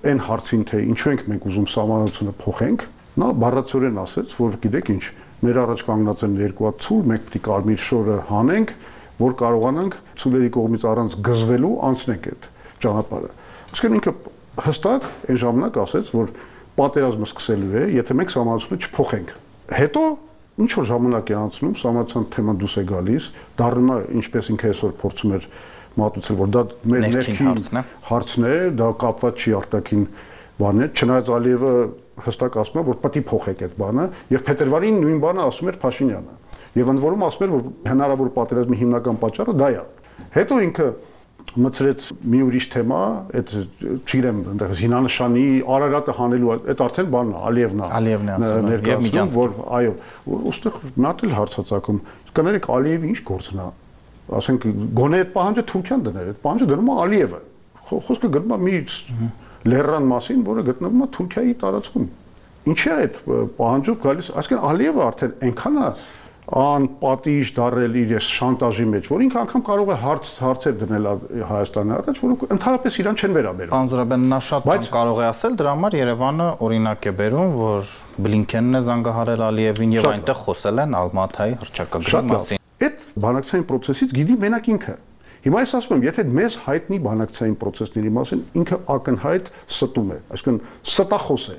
այն հարցին, թե ինչու ենք մենք ուզում սահմանությունը փոխենք, Նա բառացորեն ասեց, որ գիտեք ինչ, մեր առաջ կանգնած են երկու հատ ցուլ, մեկ պիտի կարմիր շորը հանենք, որ կարողանանք ցուլերի կողմից առանց գզվելու անցնենք այդ ճանապարհը։ Այսինքն ինքը հստակ այն ժամանակ ասեց, որ պատերազմը սկսելու է, եթե մենք սահմանությունը չփոխենք։ Հետո ինչ որ ժամանակ է անցնում, սահմանության թեման դուրս է գալիս, դառնում է ինչպես ինքը այսօր փորձում էր մատուցել, որ դա մեր ներքին հարցն է, դա կապված չի արտաքին բանն է, չնայած Ալիևը հստակ ասում է, որ պետք է փոխեք այդ բանը, եւ փետրվարին նույն բանը ասում էր Փաշինյանը։ Եվ ընդ որում ասում էր, որ հնարավոր պատերազմի հիմնական պատճառը դա է։ Հետո ինքը մցրեց մի ուրիշ թեմա, այդ չգիտեմ, այնտեղ զինանշանի Արարատը հանելու, այդ արդեն բանն է, Ալիևն է։ Ալիևն է ասում, եւ միջանցք, որ այո, ուստեղ մատ էլ հարցածակում, կներեք Ալիևի ինչ գործն է։ Ասենք գոնե այդ պահանջը Թուրքիան դներ, այդ պահանջը դնում է Ալիևը։ Խոսքը գնում է մի լեռան մասին, որը գտնվում է Թուրքիայի տարածքում։ Ինչի է այդ պահանջով գալիս, այսինքն Ալիևը արդեն այնքան է անպատիժ դարել իր շանտաժի մեջ, որ ինքը անգամ կարող է հարց հարցեր դնել Հայաստանի առաջ, որոնք ընդհանրապես իրան չեն վերաբերում։ Պարոն Զուրաբյան, նա շատ բան կարող է ասել, դրա համար Երևանը օրինակ է բերում, որ Բլինքենն է զանգահարել Ալիևին եւ այնտեղ խոսել են Ալմաթայի հռչակագրի մասին։ Այդ բանակցային process-ից գիտի մենակ ինքը։ Հիմա ես ասում եմ, եթե մեզ հայտնի բանակցային process-ների մասին ինքը ակնհայտ ստում է, այսինքն ստախոս է։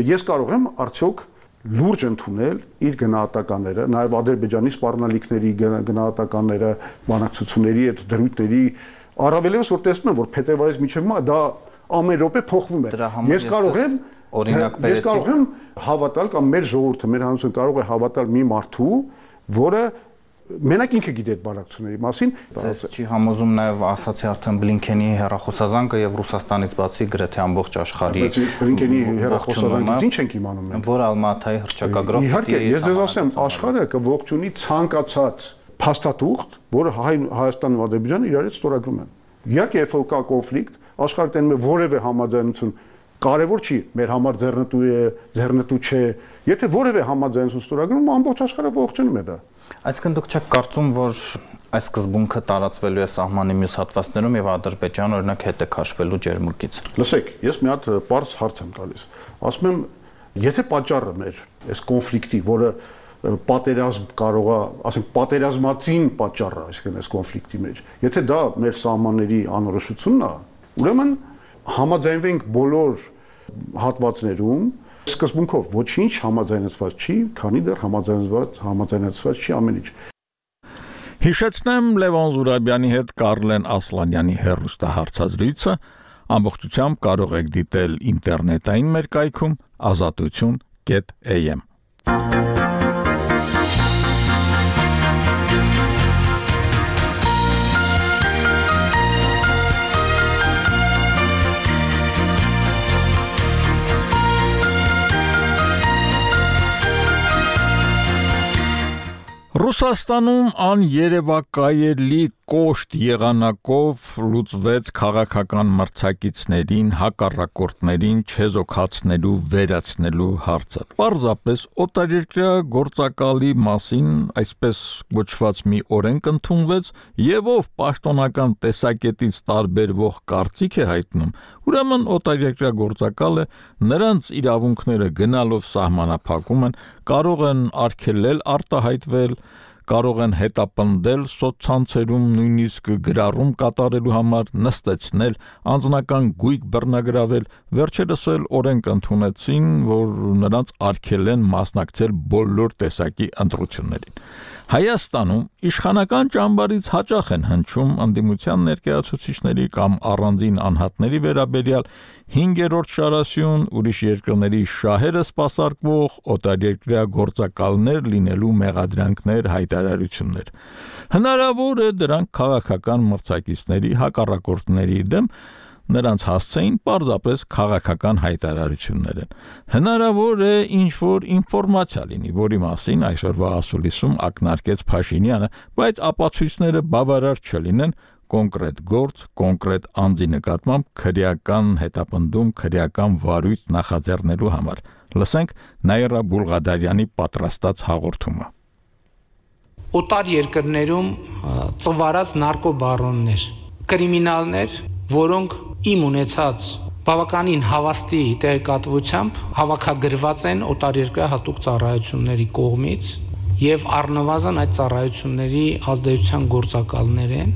Ես կարող եմ արդյոք լուրջ ընդունել իր գնահատականները, նաև Ադրբեջանի սպառնալիքների գնահատականները, բանակցությունների այդ դրույթների, առավելևս որ տեսնում եմ, որ փետրվարից մինչև հիմա դա ամեն րոպե փոխվում է։ Ես կարող եմ օրինակ բերեցի։ Ես կարող եմ հավատալ կամ մեր ժողովուրդը, մեր հանրությունը կարող է հավատալ մի մարդու, որը մենակ ինքը գիտի այդ բանակցությունների մասին։ Ձեզ չի համոզում նաև ասացի արդեն Բլինքենի հեռախոսազանգը եւ Ռուսաստանից բացի գրեթե ամբողջ աշխարհի Բլինքենի հեռախոսազանգից ինչ ենք իմանում մենք, որ Ալմաթայի հռչակագրով իհարկե ես ձեզ ասեմ, աշխարհը կողջունի ցանկացած փաստաթուղթ, որը Հայաստանն ու Ադրբեջանը իրարից ստորագրում են։ Իհարկե երբ կա կոնֆլիկտ, աշխարհը տենում է որևէ համաձայնություն, կարևոր չի մեր համար ձեռնտու է, ձեռնտու չէ։ Եթե որևէ համաձայնություն ստորագրում, ամբողջ աշխարհը ողջունում է դա։ Այսինքն դուք չեք կարծում, որ այս սկզբունքը տարածվելու է սահմանի մյուս հատվածներում եւ Ադրբեջանը օրինակ հետ է քաշվելու ջերմուկից։ Լսեք, ես մի հատ պարզ հարց եմ տալիս։ Ասում եմ, եթե պատճառը մեր այս կոնֆլիկտի, որը պատերազմ կարող է, ասենք պատերազմածին պատճառը, այսինքն այս կոնֆլիկտի մեջ, եթե դա մեր սահմանների անորոշությունն է, ուրեմն համաձայնվենք բոլոր հատվածներում սկզբունքով ոչինչ համաձայնեցված չի, քանի դեռ համաձայնված համաձայնեցված չի ամեն ինչ։ Հիշեցնեմ Լևոն Զուրաբյանի հետ Կարլեն Ասլանյանի հեռուստահարցազրույցը ամբողջությամբ կարող եք դիտել ինտերնետային մեր կայքում ազատություն կետ էյ էմ։ Ռուսաստանում աներևակայելի կոշտ եղանակով լուծվեց քաղաքական մրցակիցներին, հակառակորդներին չեզոքացնելու, վերացնելու հարցը։ Պարզապես օտարերկրյա գործակալի մասին այսպես գոչված մի օրենք ընդունվեց, եւ ով պաշտոնական տեսակետից տարբերվող կարծիք է հայտնում, ուրեմն օտարերկրյա գործակալը նրանց իրավունքները գնալով սահմանափակում են, կարող են արգելել արտահայտվել, կարող են հետապնդել սոցցանցերում, նույնիսկ գրառում կատարելու համար, նստեցնել, անձնական գույք բռնագրավել, վերջերս էլ օրենք ընդունեցին, որ նրանց արգելեն մասնակցել բոլոր տեսակի ընտրություններին։ Հայաստանում իշխանական ճամբարից հաճախ են հնչում ընդդիմության ներկայացուցիչների կամ առանձին անհատների վերաբերյալ հինգերորդ շարասյուն, ուրիշ երկրների շահերը սպասարկվող օտարերկրյա գործակալներ լինելու մեղադրանքներ, հայտարարություններ։ Հնարավոր է դրանք քաղաքական մրցակիցների, հակառակորդների դեմ նրանց հասցեին պարզապես քաղաքական հայտարարություններ են։ Հնարավոր է ինչ-որ ինֆորմացիա լինի, որի մասին այսօրվա ասուլիսում ակնարկեց Փաշինյանը, բայց ապացույցները բավարար չլինեն կոնկրետ գործ, կոնկրետ անձի նկատմամբ քրեական հետապնդում, քրեական վարույթ նախաձեռնելու համար։ Լսենք Նաիրա Բուլղադարյանի պատրաստած հաղորդումը։ Օտար երկրներում ծվարած նարկոբարոններ, կրիմինալներ, որոնք իմ ունեցած բավականին հավաստի տեղեկատվությամբ հավաքագրված են օտարերկրյա հատուկ ծառայությունների կողմից եւ առնվազն այդ ծառայությունների ազդեցության գործակալներ են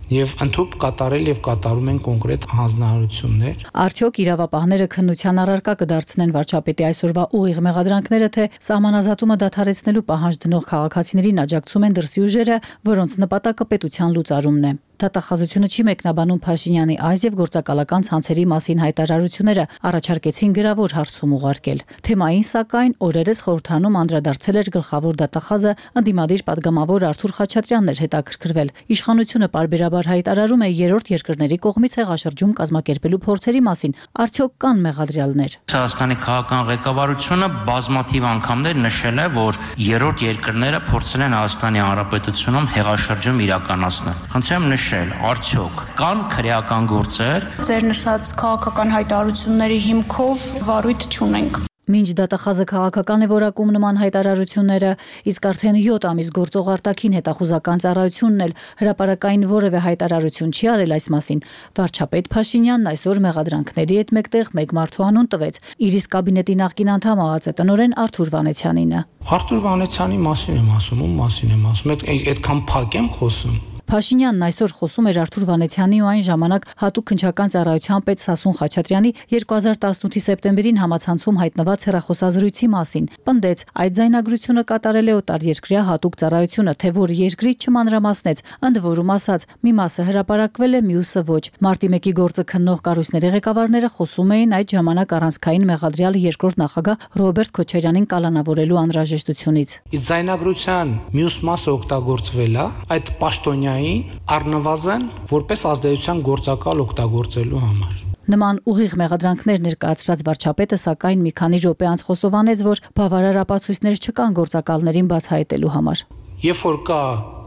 եւ ընդհանուր կատարել եւ կատարում են կոնկրետ հանձնարարություններ։ Արդյոք իրավապահները քննության առարկա կդարձնեն վարչապետի այսօրվա ուղիղ մեղադրանքները, թե սահմանազատումը դադարեցնելու պահանջ դնող քաղաքացիներին աջակցում են դրսի ուժերը, որոնց նպատակը պետության լուծարումն է։ Դատախազությունը չի մեկնաբանում Փաշինյանի այս եւ գործակալական ցանցերի մասին հայտարարությունները, առաջարկեցին գրավոր հարցում ուղարկել։ Թեմային, սակայն, օրերս խորհրդանում անդրադարձել էր գլխավոր դատախազը, ընդդիմադիր падգամավոր Արթուր Խաչատրյանն էր հետաքրքրվել։ Իշխանությունը պարբերաբար հայտարարում է երրորդ երկրների կողմից հեղաշրջում կազմակերպելու փորձերի մասին։ Արդյոք կան մեղադրյալներ։ Հայաստանի քաղաքական ղեկավարությունը բազմաթիվ անգամներ նշել է, որ երրորդ երկրները փորձել են Հայաստանի Հանրապետությունում հեղաշրջում իրականացնել։ Խնդրեմ նշել, արդյոք կան քրեական գործեր։ Ձեր նշած քաղաքական հայտարարությունների հիմքով վարույթ չունենք։ Մինչ դատախազը քաղաքական է որակում նման հայտարարությունները, իսկ արդեն յոթ ամիս գործող արտաքին հետախուզական ծառայությունն էլ հրապարակային որևէ հայտարարություն չի արել այս մասին, վարչապետ Փաշինյանն այսօր մեղադրանքների հետ մեկտեղ մեկ մարդու անուն տվեց, իր իսկ կաբինետի նախկին անդամ ԱԱԾ-տնօրեն Արթուր Վանեցյանինը։ Արթուր Վանեցյանի մասին եմ ասում, ում մասին եմ ասում, այդքան փակ եմ խոսում։ Փաշինյանն այսօր խոսում էր Արթուր Վանեցյանի ու այն ժամանակ հատուկ քննչական ծառայության պետ Սասուն Խաչատրյանի երկու հազար տասնութի սեպտեմբերին համացանցում հայտնված հեռախոսազրույցի մասին։ Պնդեց, այդ ձայնագրությունը կատարել է օտարերկրյա հատուկ ծառայությունը, թե որ երկրից չմանրամասնեց, ընդ որում ասած, մի մասը հրապարակվել է, մյուսը ոչ։ Մարտի մեկի գործը քննող կառույցների ղեկավարները խոսում էին այդ ժամանակ առանցքային մեղադրյալ երկրորդ նախագահ Ռոբերտ Քոչարյանին կալանավորելու անհրաժեշտությունից։ Իսկ ձայնագրության մյուս մասը օգտագործվել է այդ պաշտոնյա առնվազն որպես ազդեցության գործակալ օգտագործելու համար։ Նման ուղիղ մեղադրանքներ ներկայացրած վարչապետը սակայն մի քանի րոպե անց խոստովանեց, որ բավարար ապացույցներ չկան գործակալներին բացահայտելու համար։ Երբ որ կա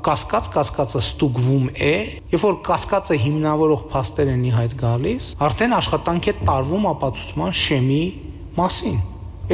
կասկած, կասկածը ստուգվում է, երբ որ կասկածը հիմնավորող փաստեր են ի հայտ գալիս, արդեն աշխատանք է տարվում ապացուցման շեմի մասին։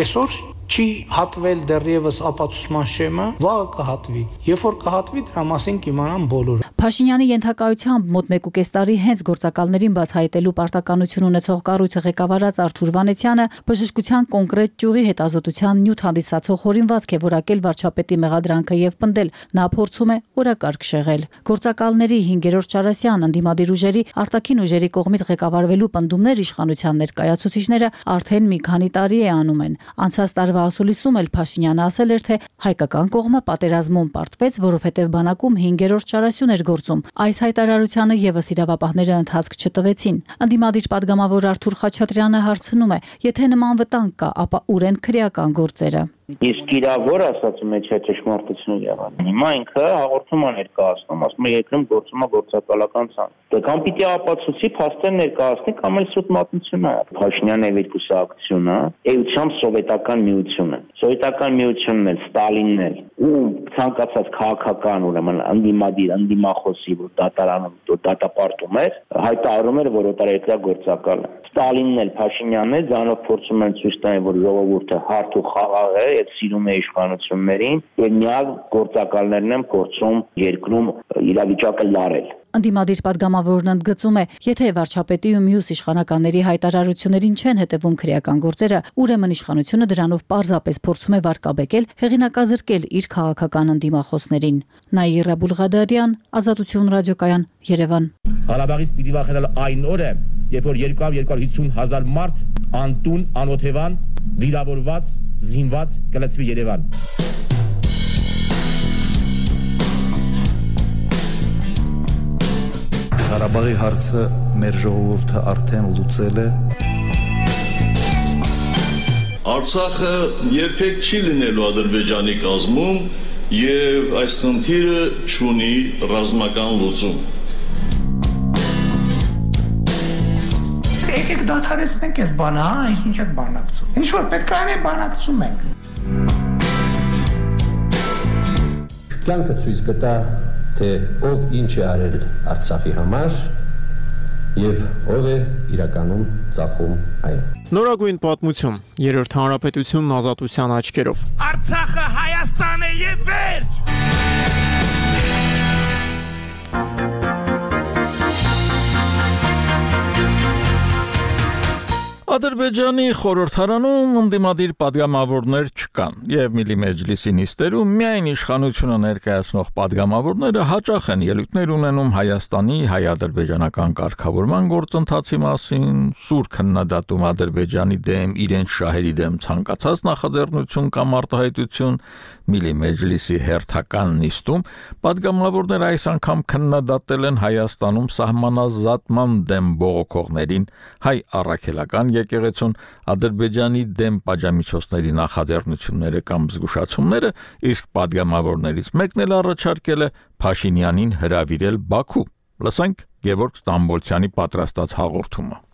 Այսօր չի հատվել դեռևս ապացուցման շեմը, վաղը կհատվի։ Երբ որ կհատվի, դրա մասին կիմանան բոլորը։ Փաշինյանի ենթակայությամբ մոտ մեկ ու կես տարի հենց գործակալներին բացահայտելու պարտականություն ունեցող կառույցը ղեկավարած Արթուր Վանեցյանը բժշկության կոնկրետ ճյուղի հետազոտության նյութ հանդիսացող հորինվածք է որակել վարչապետի մեղադրանքը եւ պնդել, նա փորձում է օրակարգ շեղել։ Գործակալների հինգերորդ Չարասյան ընդդիմադիր ուժերի արտաքին ուժերի կողմից ղեկավարվելու պնդումներ իշխանության ներկայացուցիչները արդեն մի քանի տարի է անում են։ Անցած տարվա ասուլիսում էլ Փաշինյանը ասել էր, թե հայկական կողմը պատերազմում պարտվեց, որովհետև բանակում հինգերորդ Չարասյուն էր գործում։ Այս հայտարարությանը եւս իրավապահները ընթացք չտվեցին։ Ընդդիմադիր падգամավոր Արթուր Խաչատրյանը հարցնում է, եթե նման վտանգ կա, ապա ուր են քրեական գործերը։ Իսկ իրավոր ասացում է չէ ճշմարտություն եղան։ Հիմա ինքը հաղորդում է ներկայացնում, ասում է երկրում գործում է գործակալական ցանց։ Դե կամ պիտի ապացուցի փաստեր ներկայացնի, կամ էլ սուտ մատնություն է։ Փաշինյանը եւ իր կուսակցությունը էությամբ սովետական միությունն են։ Սովետական միությունն էլ Ստալինն էլ ու ցանկացած քաղաքական ուրեմն ընդդիմադիր, ընդդիմախոսի, որ դատարանում, դատապարտում էր, հայտարարում էր, որ օտարերկրյա գործակալ է։ Ստալինն էլ Փաշինյանն էլ ձանով փորձում են ցույց տալ, որ ժողովուրդը հարթ ու խաղաղ է, եւ սիրում է իշխանություններին, եւ միակ գործակալներն են փորձում երկրում իրավիճակը լարել։ Ընդդիմադիր падգամավորն ընդգծում է, եթե վարչապետի ու մյուս իշխանականների հայտարարություններին չեն հետևում քրեական գործերը, ուրեմն իշխանությունը դրանով պարզապես փորձում է վարկաբեկել, հեղինակազրկել իր քաղաքական ընդդիմախոսներին։ Նաիրա Բուլղադարյան, Ազատություն ռադիոկայան, Երևան։ Ղարաբաղից պիտի վախենալ այն օրը, երբ որ երկու հարյուր հիսուն հազար մարդ անտուն, անօթևան, վիրավորված, զինված կլցվի Երևան։ Ղարաբաղի հարցը մեր ժողովուրդը արդեն լուծել է։ Արցախը երբեք չի լինելու Ադրբեջանի կազմում եւ այս խնդիրը չունի ռազմական լուծում։ Եկեք դադարեցնենք այս բանը, հա, ինչ եք բանակցում։ Ինչ որ պետք է անենք, բանակցում ենք։ Կյանքը ցույց կտա, թե ով ինչ է արել Արցախի համար եւ ով է իրականում ծախում այն։ Նորագույն պատմություն, երրորդ հանրապետությունն ազատության աչքերով։ Արցախը Հայաստան է եւ վերջ։ Ադրբեջանի խորհրդարանում ընդդիմադիր պատգամավորներ չկան, եւ Միլի մեջլիսի նիստերում միայն իշխանությունը ներկայացնող պատգամավորները հաճախ են ելույթներ ունենում Հայաստանի հայ-ադրբեջանական կարգավորման գործընթացի մասին, սուր քննադատում Ադրբեջանի դեմ իրենց շահերի դեմ ցանկացած նախաձեռնություն կամ արտահայտություն, Միլի մեջլիսի հերթական նիստում պատգամավորները այս անգամ քննադատել են Հայաստանում սահմանազատման դեմ բողոքողներին, հայ առաքելական եկեղեցուն, Ադրբեջանի դեմ պատժամիջոցների նախաձեռնությունները կամ զգուշացումները, իսկ պատգամավորներից մեկն էլ առաջարկել է Փաշինյանին հրավիրել Բաքու։ Լսենք Գևորգ Ստամբոլցյանի պատրաստած հաղորդումը։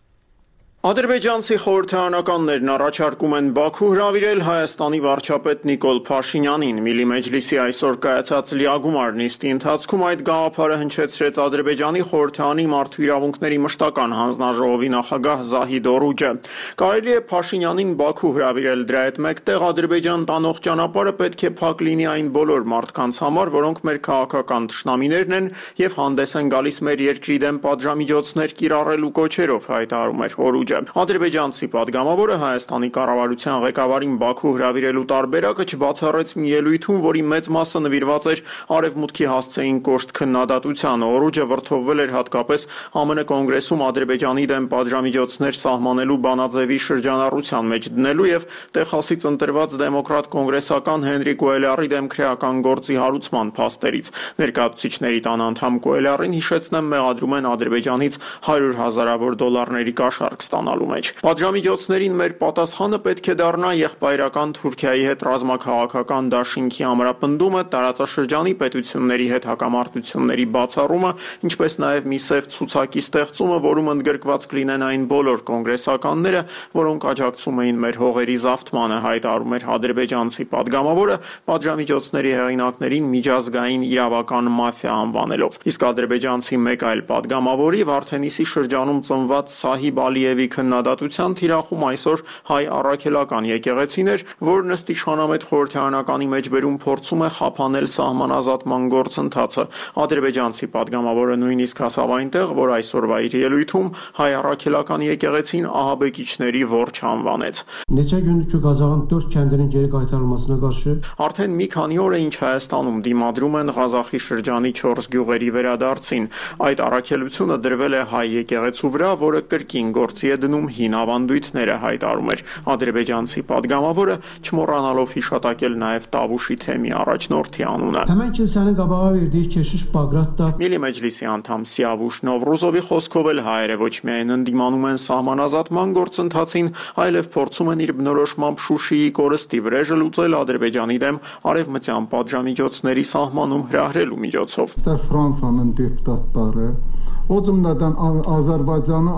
Ադրբեջանցի խորհրդարանականներն առաջարկում են Բաքու հրավիրել Հայաստանի վարչապետ Նիկոլ Փաշինյանին։ Միլի մեջլիսի այսօր կայացած լիագումար նիստի ընթացքում այդ գաղափարը հնչեցրեց Ադրբեջանի խորհրդարանի մարդու իրավունքների մշտական հանձնաժողովի նախագահ Զահիդ Օրուջը։ Կարելի է Փաշինյանին Բաքու հրավիրել, դրա հետ մեկտեղ Ադրբեջան տանող ճանապարհը պետք է փակ լինի այն բոլոր մարդկանց համար, որոնք մեր քաղաքական թշնամիներն են եւ հանդես են գալիս մեր երկրի դեմ պատժամիջոցներ կիրառելու կոչերով, հայտարարում էր Օրուջը։ Ադրբեջանցի պատգամավորը Հայաստանի կառավարության ղեկավարին Բաքու հրավիրելու տարբերակը չբացառեց մի ելույթում, որի մեծ մասը նվիրված էր Արևմուտքի հասցեին կոշտ քննադատությանը։ Օրուջը վրդովվել էր հատկապես ԱՄՆ կոնգրեսում Ադրբեջանի դեմ պատժամիջոցներ սահմանելու բանաձևի շրջանառության մեջ դնելու եւ Տեխասից ընտրված դեմոկրատ կոնգրեսական Հենրի Կուելյարի դեմ քրեական գործի հարուցման փաստերից։ Ներկայացուցիչների տան անդամ Կուելյարին, հիշեցնեմ, մեղադրում են Ադրբեջանից հարյուր հազարավոր դոլարների կաշառք ստանալու մեջ։ Պատժամիջոցներին մեր պատասխանը պետք է դառնա եղբայրական Թուրքիայի հետ ռազմաքաղաքական դաշինքի ամրապնդումը, տարածաշրջանի պետությունների հետ հակամարտությունների բացառումը, ինչպես նաև մի սև ցուցակի ստեղծումը, որում ընդգրկված կլինեն այն բոլոր կոնգրեսականները, որոնք աջակցում էին մեր հողերի զավթմանը, հայտարարում էր ադրբեջանցի պատգամավորը, պատժամիջոցների հեղինակներին միջազգային իրավական մաֆիա անվանելով։ Իսկ ադրբեջանցի մեկ այլ պատգամավորի Վարդենիսի շրջանում ծնված Սահիբ Ալիևի քննադատության թիրախում այսօր հայ առաքելական եկեղեցին էր, որն ըստ իշխանամետ խորհրդարանականի մեջբերում փորձում է խափանել սահմանազատման գործընթացը։ Ադրբեջանցի պատգամավորը նույնիսկ հասավ այնտեղ, որ այսօրվա իր ելույթում հայ առաքելական եկեղեցին ահաբեկիչների որջը անվանեց։ Արդեն մի քանի օր է ինչ Հայաստանում դիմադրում են Ղազախի շրջանի չորս գյուղերի վերադարձին։ Այդ առաքելությունը դրվել է հայ եկեղեցու վրա, որը կրկին գործի է դնում հին ավանդույթները, հայտարարում էր ադրբեջանցի պատգամավորը, չմոռանալով հիշատակել նաև Տավուշի թեմի առաջնորդի անունը։ Միլի մեջլիսի անդամ Սիավուշ Նովրուզովի խոսքով էլ հայերը ոչ միայն ընդդիմանում են սահմանազատման գործընթացին, այլև փորձում են իր բնորոշմամբ Շուշիի կորստի վրեժը լուծել Ադրբեջանի դեմ արևմտյան պատժամիջոցների սահմանում հրահրելու միջոցով։ Ֆրանսիան դեպուտատները Ozumdan Azərbaycanı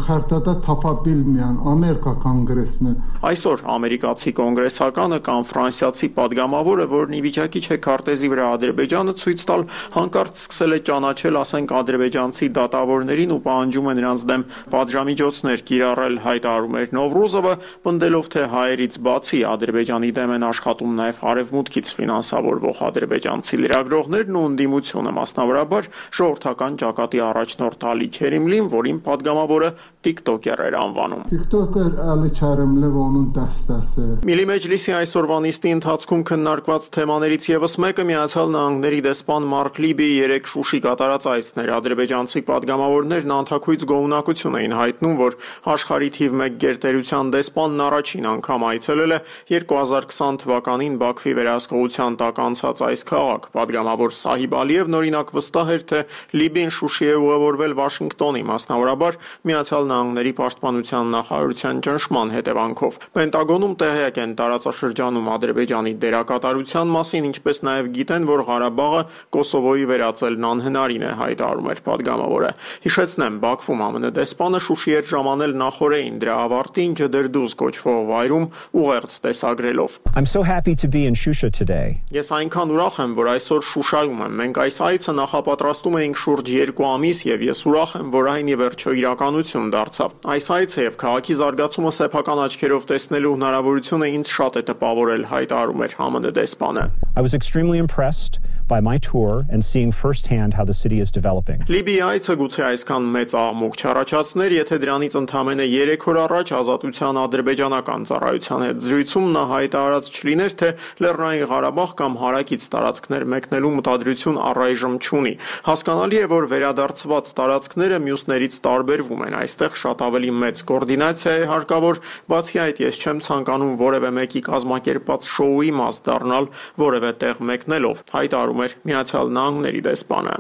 xəritədə tapa bilməyən Amerika կոնգրեսմեն։ Այսօր ամերիկացի կոնգրեսականը կամ ֆրանսիացի պատգամավորը, որն ի վիճակի չէ քարտեզի վրա Ադրբեջանը ցույց տալ, հանկարծ սկսել է ճանաչել, ասենք, ադրբեջանցի դատավորներին ու պահանջում է նրանց դեմ պատժամիջոցներ կիրառել, հայտարարում էր Նովրուզովը, պնդելով, թե հայերից բացի Ադրբեջանի դեմ են աշխատում նաև արևմուտքից ֆինանսավորվող ադրբեջանցի լրագրողներն ու ընդդիմությունը, մասնավորաբար ժողովրդական ճակատի առաջնորդ Ալի Քերիմլին, որին պատգամավորը TikToker էր անվանում։ TikToker Ալի Քերիմլը onun dəstəsi։ Միլի մեջլիսի այսօրվա նիստի ընթացքում քննարկված թեմաներից եւս մեկը Միացյալ Նահանգների դեսպան Մարկ Լիբիի երեք Շուշի կատարած այցն էր։ Ադրբեջանցի պատգամավորներն անթաքույց գոհունակություն էին հայտնում, որ աշխարհի թիվ մեկ գերտերության դեսպանն առաջին անգամ այցելել է երկու հազար քսան թվականին Բաքվի վերահսկողության տակ անցած այս քաղաք։ Պատգամավոր Սահիբ Ալիևն օրինակ վստահ էր, թե Լիբին Շուշի է ուղևորվել Վաշինգտոնի, մասնավորաբար Միացյալ Նահանգների պաշտպանության նախարարության ճնշման հետևանքով։ Պենտագոնում տեղյակ են տարածաշրջանում Ադրբեջանի դերակատարության մասին, ինչպես նաև գիտեն, որ Ղարաբաղը Կոսովոյի վերածելն անհնարին է, հայտարարում էր պատգամավորը։ Հիշեցնեմ, Բաքվում ԱՄՆ դեսպանը Շուշի էր ժամանել նախորդին դրա ավարտին Ջդերդուզ կոչվող վայրում ուղերձ տեսագրելով։ I'm so happy to be in Shusha today. Ես այնքան ուրախ եմ, որ այսօր Շուշայում եմ։ Մենք այս այցը նախապատրաստում էինք շուրջ երկու ամիս եւ ես ուրախ եմ, որ այն ի վերջո իրականություն դարձավ։ Այս այցը եւ քաղաքի զարգացումը սեփական աչքերով տեսնելու հնարավորությունը ինձ շատ է տպավորել, հայտարարում էր ԱՄՆ դեսպանը։ I was extremely impressed by my tour and seeing firsthand how the city is developing. Լիբիայից գուցե այսքան մեծ աղմուկ չառաջացներ, եթե դրանից ընդամենը երեք օր առաջ Ազատության ադրբեջանական ծառայության հետ զրույցում նա հայտարարած չլիներ, թե Լեռնային Ղարաբաղ կամ հարակից տարածքներ մեկնելու մտադրություն առայժմ չունի։ Հասկանալի է, որ վերադարձված տարածքները մյուսներից տարբերվում են, այստեղ շատ ավելի մեծ կոորդինացիա է հարկավոր, բացի այդ ես չեմ ցանկանում որևէ մեկի կազմակերպած շոուի մաս դառնալ որևէ տեղ մեկնելով, հայտարարում էր Միացյալ Նահանգների դեսպանը։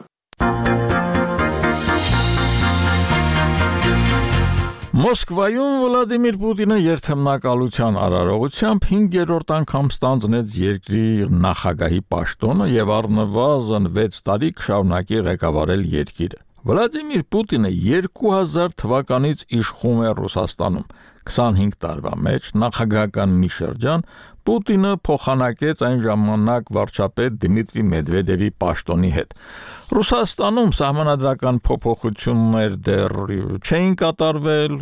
Մոսկվայում Վլադիմիր Պուտինը երթմնակալության արարողությամբ հինգերորդ անգամ ստանձնեց երկրի նախագահի պաշտոնը եւ առնվազն վեց տարի կշարունակի ղեկավարել երկիրը։ Վլադիմիր Պուտինը երկու հազար թվականից իշխում է Ռուսաստանում։ քսանհինգ տարվա մեջ նախագահական մի շրջան Պուտինը փոխանակեց այն ժամանակ վարչապետ Դմիտրի Մեդվեդևի պաշտոնի հետ։ Ռուսաստանում սահմանադրական փոփոխություններ դեռ չէին կատարվել,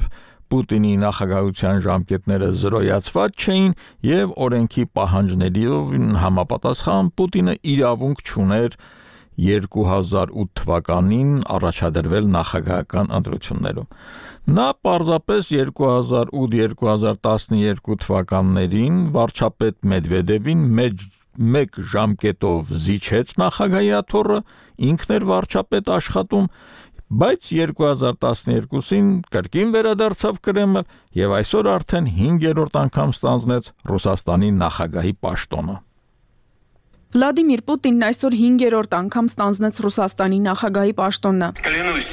Պուտինի նախագահության ժամկետները զրոյացված չէին եւ օրենքի պահանջներին համապատասխան Պուտինը իրավունք չուներ երկու հազար ութ թվականին առաջադրվել նախագահական ընտրություններում։ Նա պարզապես երկու հազար ութ երկու հազար տասնյոթ թվականներին վարչապետ Մեդվեդևին մեկ ժամկետով զիջեց նախագահի աթոռը, ինքն էր վարչապետ աշխատում, բայց երկու հազար տասնյոթին կրկին վերադարձավ Կրեմլ եւ այսօր արդեն հինգերորդ անգամ ստանձնեց Ռուսաստանի նախագահի պաշտոնը։ Վլադիմիր Պուտինն այսօր հինգերորդ անգամ ստանձնեց Ռուսաստանի նախագահի պաշտոնը։ Клянусь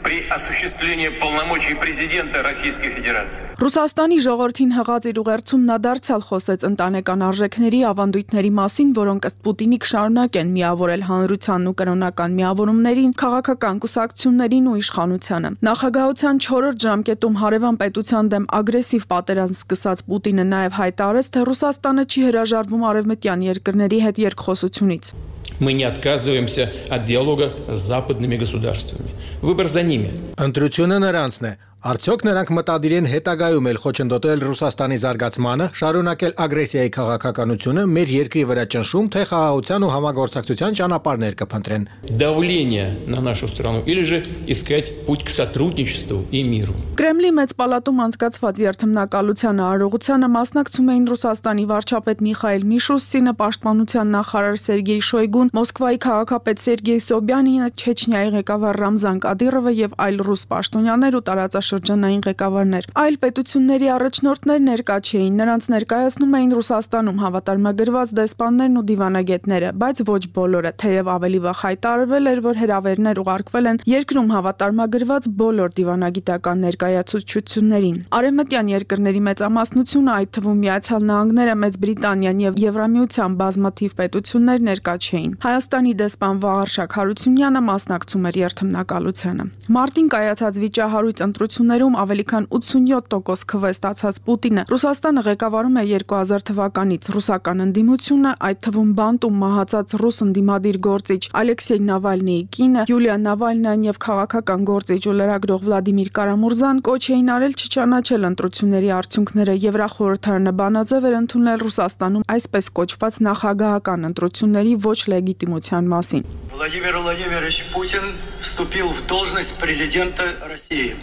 при осуществлении полномочий президента Российской Федерации. Ռուսաստանի ժողովրդին հղած իր ուղերձում նա դարձյալ խոսեց ընտանեկան արժեքների ավանդույթների մասին, որոնք ըստ Պուտինի կշարունակեն միավորել հանրությանն ու կրոնական միավորումներին, քաղաքական կուսակցություններին ու իշխանությանը։ Նախագահության չորրորդ ժամկետում հարևան պետության դեմ ագրեսիվ պատերազմ սկսած Պուտինը նաև հայտարարեց, թե Ռուսաստանը չի հրաժարվում արևմտյան երկրների հետ երկխոսությունից։ Мы не отказываемся от диалога с западными государствами. Выбор за ними. Ընտրությունը նրանցն է։ Արդյոք նրանք մտադիր են հետագայում էլ խոչընդոտել Ռուսաստանի զարգացմանը, շարունակել ագրեսիայի քաղաքականությունը, մեր երկրի վրա ճնշում, թե խաղաղության ու համագործակցության ճանապարհներ կփնտրեն։ Давление на нашу страну или же искать путь к сотрудничеству и миру. Կրեմլի մեծ պալատում անցկացված երթմնակալության արարողությանը մասնակցում էին Ռուսաստանի վարչապետ Միխայիլ Միշուստինը, պաշտպանության նախարար Սերգեյ Շոյգուն, Մոսկվայի քաղաքապետ Սերգեյ Սոբյանինը, Չեչնիայի ղեկավար Ռամզան Կադիրովը եւ այլ ռուս պաշտոնյաներ ու տարածաշրջանային ղեկավարներ։ Այլ պետությունների առաջնորդներ ներկա չէին, նրանց ներկայացնում էին Ռուսաստանում հավատարմագրված դեսպաններն ու դիվանագետները, բայց ոչ բոլորը, թեև ավելի վաղ հայտարարվել էր, որ հրավերներ ուղարկվել են երկրում հավատարմագրված բոլոր դիվանագիտական ներկայացուցչություններին։ Արևմտյան երկրների մեծամասնությունը, այդ թվում Միացյալ Նահանգները, Մեծ Բրիտանիան եւ Եվրամիության բազմաթիվ պետություններ ներկա չէին։ Հայաստանի դեսպան Վաղարշակ Հարությունյանը մասնակցում էր երթմնակալությանը։ Մարտին կայացած վիճահարույց ընտրություններում ավելի քան ութսունյոթ տոկոս քվե ստացած Պուտինը Ռուսաստանը ղեկավարում է երկու հազար թվականից։ Ռուսական ընդդիմությունը, այդ թվում բանտում մահացած ռուս ընդդիմադիր գործիչ Ալեքսեյ Նավալնիի կինը Յուլիա Նավալնյան եւ քաղաքական գործիչ ու լրագրող Վլադիմիր Կարամուրզան կոչ էին արել չճանաչել ընտրությունների արդյունքները։ Եվրախորհրդարանը բանաձև էր ընդունել Ռուսաստանում այսպես կոչված նախագահական ընտրությունների ոչ լեգիտիմության մասին։ Владимир Владимирович Путин вступил в должность президента России.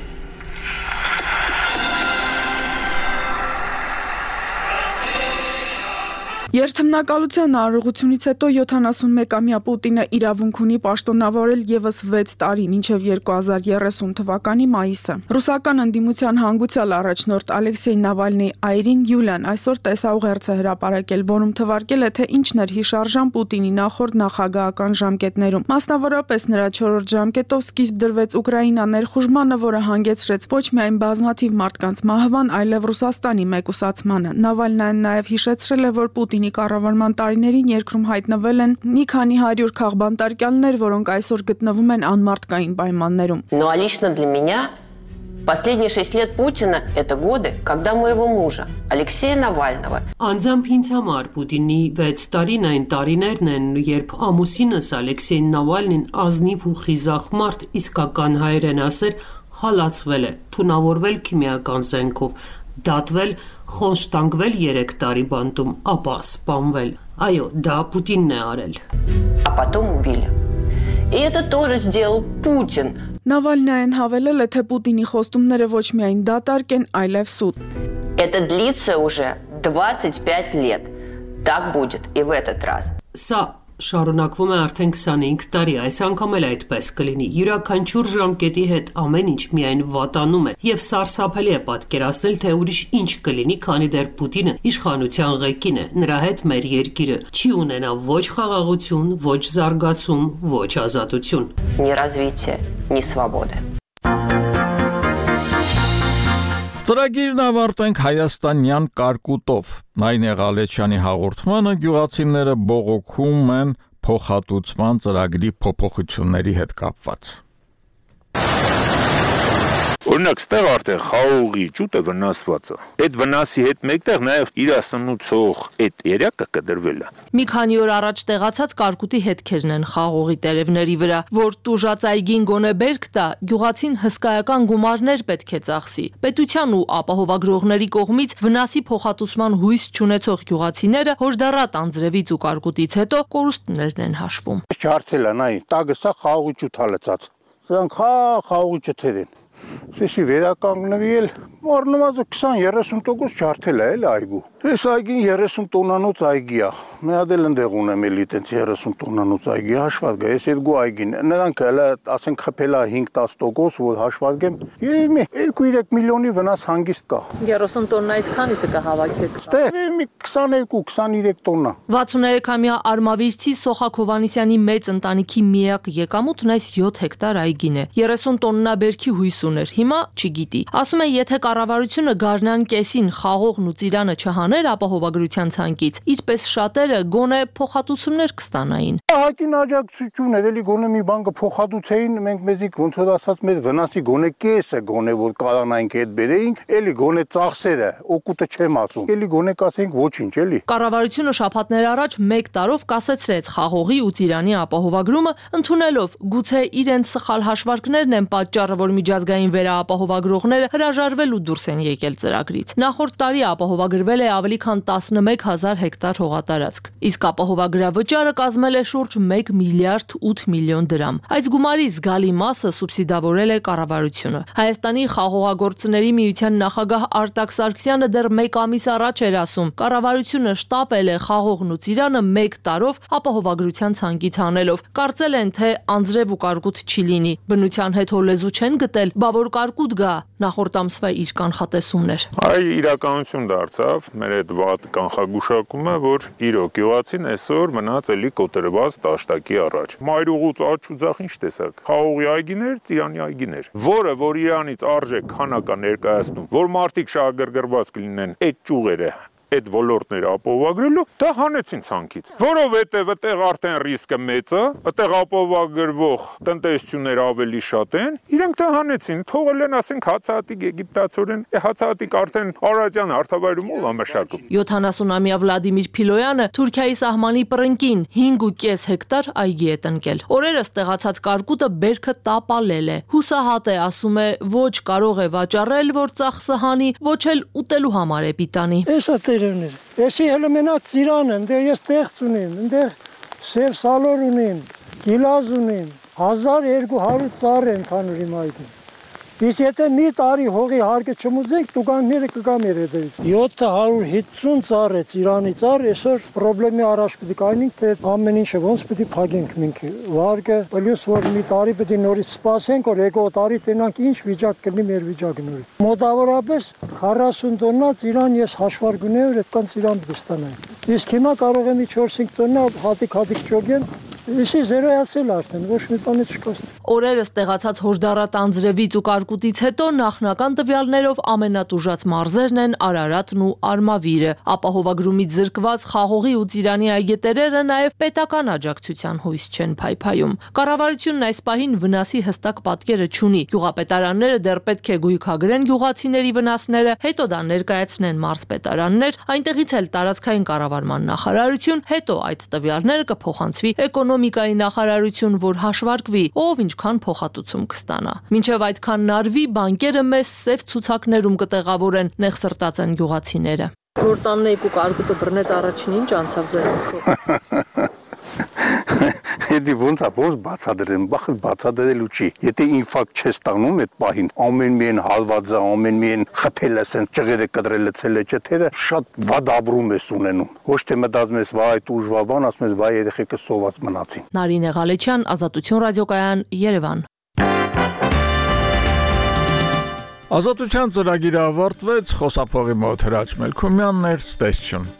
Երթմնակալության արարողությունից հետո յոթանասունմեկամյա Պուտինը իրավունք ունի պաշտոնավորել եւս վեց տարի, մինչեւ երկու հազար երեսուն թվականի մայիսը։ Ռուսական ընդդիմության հանգուցյալ առաջնորդ Ալեքսեյ Նավալնիի այրին Յուլիան այսօր տեսաուղերձ է հրապարակել, որում թվարկել է, թե ինչն էր հիշարժան Պուտինի նախորդ նախագահական ժամկետներում։ Մասնավորապես նրա չորրորդ ժամկետով սկիզբ դրվեց Ուկրաինա ներխուժմանը, որը հանգեցրեց ոչ միայն բազմաթիվ մարդկանց մահվան, այլև Ռուսաստանի մեկուսացմանը։ Նավալնյան նաև հիշեցրել է, որ Պուտինի կառավարման տարիներին երկրում հայտնվել են մի քանի հարյուր քաղբանտարկյալներ, որոնք այսօր գտնվում են անմարտկային պայմաններում։ Ну а лично для меня последние шесть лет Путина – это годы, когда моего мужа, Алексея Навального. Անձամբ ինձ համար Պուտինի վեց տարին այն տարիներն են, երբ ամուսինս Ալեքսեյ Նավալնին ազնիվ ու խիզախ մարդ իսկական հայերեն ասեր հալածվել է, թունավորվել քիմիական զենքով, դատվել, խոնշտանգվել երեք տարի բանտում, ապա սպանվել։ Այո, դա Պուտինն է արել։ А потом убили. И это тоже сделал Путин. Նավալնային հավելել է, թե Պուտինի խոստումները ոչ միայն դատարկ են, այլև սուտ։ Это длится уже двадцать пять лет. Так будет и в этот раз. Սա շարունակվում է արդեն քսանհինգ տարի, այս անգամ էլ այդպես կլինի։ Յուրաքանչյուր ժամկետի հետ ամեն ինչ միայն վատանում է, եւ սարսափելի է պատկերացնել, թե ուրիշ ինչ կլինի, քանի դեռ Պուտինը իշխանության ղեկին է։ Նրա հետ մեր երկիրը չի ունենա ոչ խաղաղություն, ոչ զարգացում, ոչ ազատություն։ Ни развития, ни свободы. Ծրագիրն ավարտենք հայաստանյան կարկուտով։ Նայնե Ղալեչյանի հաղորդմանը գյուղացիները բողոքում են փոխհատուցման ծրագրի փոփոխությունների հետ կապված։ Օրինակ, ստեղ արդեն խաղողի ճուտը վնասված է։ Այդ վնասի հետ մեկտեղ նաև իր սնուցող այդ երակը կդրվել է։ Մի քանի օր առաջ տեղացած կարկուտի հետքերն են խաղողի տերևների վրա, որ տուժած այգին գոնե բերք տա, գյուղացին հսկայական գումարներ պետք է ծախսի։ Պետության ու ապահովագրողների կողմից վնասի փոխհատուցման հույս չունեցող գյուղացիները հորդառատ անձրևից ու կարկուտից հետո կորուստներն են հաշվում։ Ջարդել են, այ, տագը սա խաղողի ճուտ հալեցած։ Սրանք խաղողի ճթեր են։ Սեսի վերականգնվի էլ առնվազն քսան երեսուն տոկոս ջարդել է էլ այգու։ Այս այգին երեսուն տոննանոց այգի է։ Մի հատ էլ ընդեղ ունեմ էլի տենց երեսուն տոննանոց այգի հաշված գա։ Այս երկու այգին նրանք էլ ասենք խփել է հինգ տաս տոկոս, որ հաշված գեմ։ Երևի երկու երեք միլիոնի վնաս հանգիստ կա։ երեսուն տոննայից քանիսը կհավաքեք։ Ստեղ մի քսաներկու քսաներեք տոննա։ վաթսուններեքամյա Արմավիրցի Սոխակ Հովհաննիսյանի մեծ ընտանիքի միակ եկամուտն այս յոթ հեկտար այգին է։ երեսուն տոննա բերքի հույս ուներ, հիմա չգիտի։ Ասում է, եթե կառավարությունը գարնան կեսին խաղողն ու ծիրանը չհաներ ապահովագրության ցանկից, իրպես շատերը գոնե փոխհատուցումներ կստանային։ Հակին աջակցություն էր, էլի գոնե մի բան կփոխհատուցեին, մենք մեզի ոնց որ ասած մեր վնասի գոնե կեսը գոնե որ կարանայինք այդ բերեինք, էլի գոնե ծախսերը, օկուտը չեմ ասում։ Էլի գոնե կասեինք ոչինչ, էլի։ Կառավարությունը շաբաթներ առաջ մեկ տարով կասեցրեց խաղողի ու ծիրանի ապահովագրումը, ընդունելով գուցե իրենց սխալ հաշվարկներն են պատճառը, որ միջազգային վերաապահովագրողները հրաժարվել ու դուրս են եկել ծրագրից։ Նախորդ տարի ապահովագրվել է ավելի քան տասնմեկ հազար հեկտար հողատարածք, իսկ ապահովագրավճարը կազմել է շուրջ մեկ միլիարդ ութ միլիոն դրամ։ Այս գումարի զգալի մասը սուբսիդավորել է կառավարությունը։ Հայաստանի խաղողագործների միության նախագահ Արտակ Սարգսյանը դեռ մեկ ամիս առաջ էր ասում, կառավարությունը շտապել է խաղողն ու ծիրանը մեկ տարով ապահովագրության ցանկից հանելով։ Կարծել են, թե անձրև ու կարկուտ չի լինի, բնության հետ հոլեզու չեն գտել, բա որ կարկուտ գա, նախորդ ամսվա իր կանխատեսումն էր։ Այ իրականություն դարձավ մեր այդ վատ կանխագուշակումը, որ իրոք գյուղացին այսօր մնաց էլի կոտրված տաշտակի առաջ։ Մայրուղուց աջ ու ձախ ինչ տեսակ։ Խաղողի այգիներ, ծիրանի այգիներ, որը որ իրանից արժեք քանակա ներկայացնում, որ մարդիկ շահագրգռված կլինեն այդ ճյուղերը այդ ոլորտները ապահովագրելու, դա հանեցին ցանկից, որովհետև այդտեղ արդեն ռիսկը մեծ է, այդտեղ ապահովագրվող տնտեսությունները ավելի շատ են, իրենք դա հանեցին, թողել են ասենք հացահատիկ եգիպտացորեն, հացահատիկ արդեն Արարատյան հարթավայրումով ամշակում։ յոթանասունամյա Վլադիմիր Փիլոյանը Թուրքիայի սահմանի պռնկին հինգ ու կես հեկտար այգի է տնկել։ Օրերս տեղացած կարկուտը բերքը տապալել է։ Հուսահատ է, ասում է, ոչ կարող է վաճառել, որ ծախսը հանի, ոչ էլ ուտելու համար է պիտանի։ Էսի հələ մենակ ծիրան են, դե ես տեղց ունեմ, այնտեղ սև սալոր ունեմ, գիլազ ունեմ, հազար երկու հարյուր ծառ են քանուրի մայթին։ Իսկ եթե մի տարի հողի հարկը չմուծենք, տուգանքները կգա մեր հետևից։ յոթ հարյուր հիսուն ծառ է ծիրանի ծառ, այսօր խնդրեմի առաջ պետք է կայնենք, թե ամեն ինչը ոնց պետք է փակենք մենք վարկը, պլյուս որ մի տարի պետք է նորից սպասենք, որ եկող տարի տենանք ինչ վիճակ կլինի մեր վիճակը նորից։ Մոտավորապես քառասուն տոննա ծիրան ես հաշվարկ ունեի, որ այդքան ծիրան պետք է ստանայի։ Իսկ հիմա կարող եմ չորս-հինգ տոննա հատիկ-հատիկ ճոգեն Իշի զերոյացել արդեն, ոչ մի բան չկա։ Օրերս տեղացած հորդառատ անձրևից ու կարկուտից հետո նախնական տվյալներով ամենատուժած մարզերն են Արարատն ու Արմավիրը։ Ապահովագրումից զրկված խաղողի ու ծիրանի այգետերերը նաև պետական աջակցության հույս չեն փայփայում։ Կառավարությունն այս պահին վնասի հստակ պատկերը չունի։ Գյուղապետարանները դեռ պետք է գույքագրեն գյուղացիների վնասները, հետո դա ներկայացնեն մարզպետարաններ, այնտեղից էլ տարածքային կառավարման նախարարություն, հետո այդ տվյալները կփոխանցվի էկոնոմիկայի Էկոնոմիկայի նախարարություն, որ հաշվարկվի, ով ինչքան փոխհատուցում կստանա։ Մինչև այդքան նարվի, բանկերը մեզ սև ցուցակներում կտեղավորեն, նեղսրտած են գյուղացիները։ Որ տանն եք ու կարկուտը բռնեց առաջին ինչ անցավ ձեր մտքով։ Եթե ոնց է ոնց բացադրեմ, բախ բացադրելու չի։ Եթե ինֆակտ չես տանում այդ պահին, ամեն միայն հալվածը, ամեն միայն խփելը, սենց ճղերը կտրելը, ցելը չթերը, շատ վատ ապրում ես ունենում։ Ոչ թե մտածում ես, վայ, դուժվա բան, ասում ես, վայ, երեխեքը սոված մնացին։ Նարինե Ղալեչյան, Ազատություն ռադիոկայան, Երևան։ Ազատության ծրագիրը ավարտվեց, խոսափողի մոտ Հրաչ Մելքումյանն էր, ցտեսություն։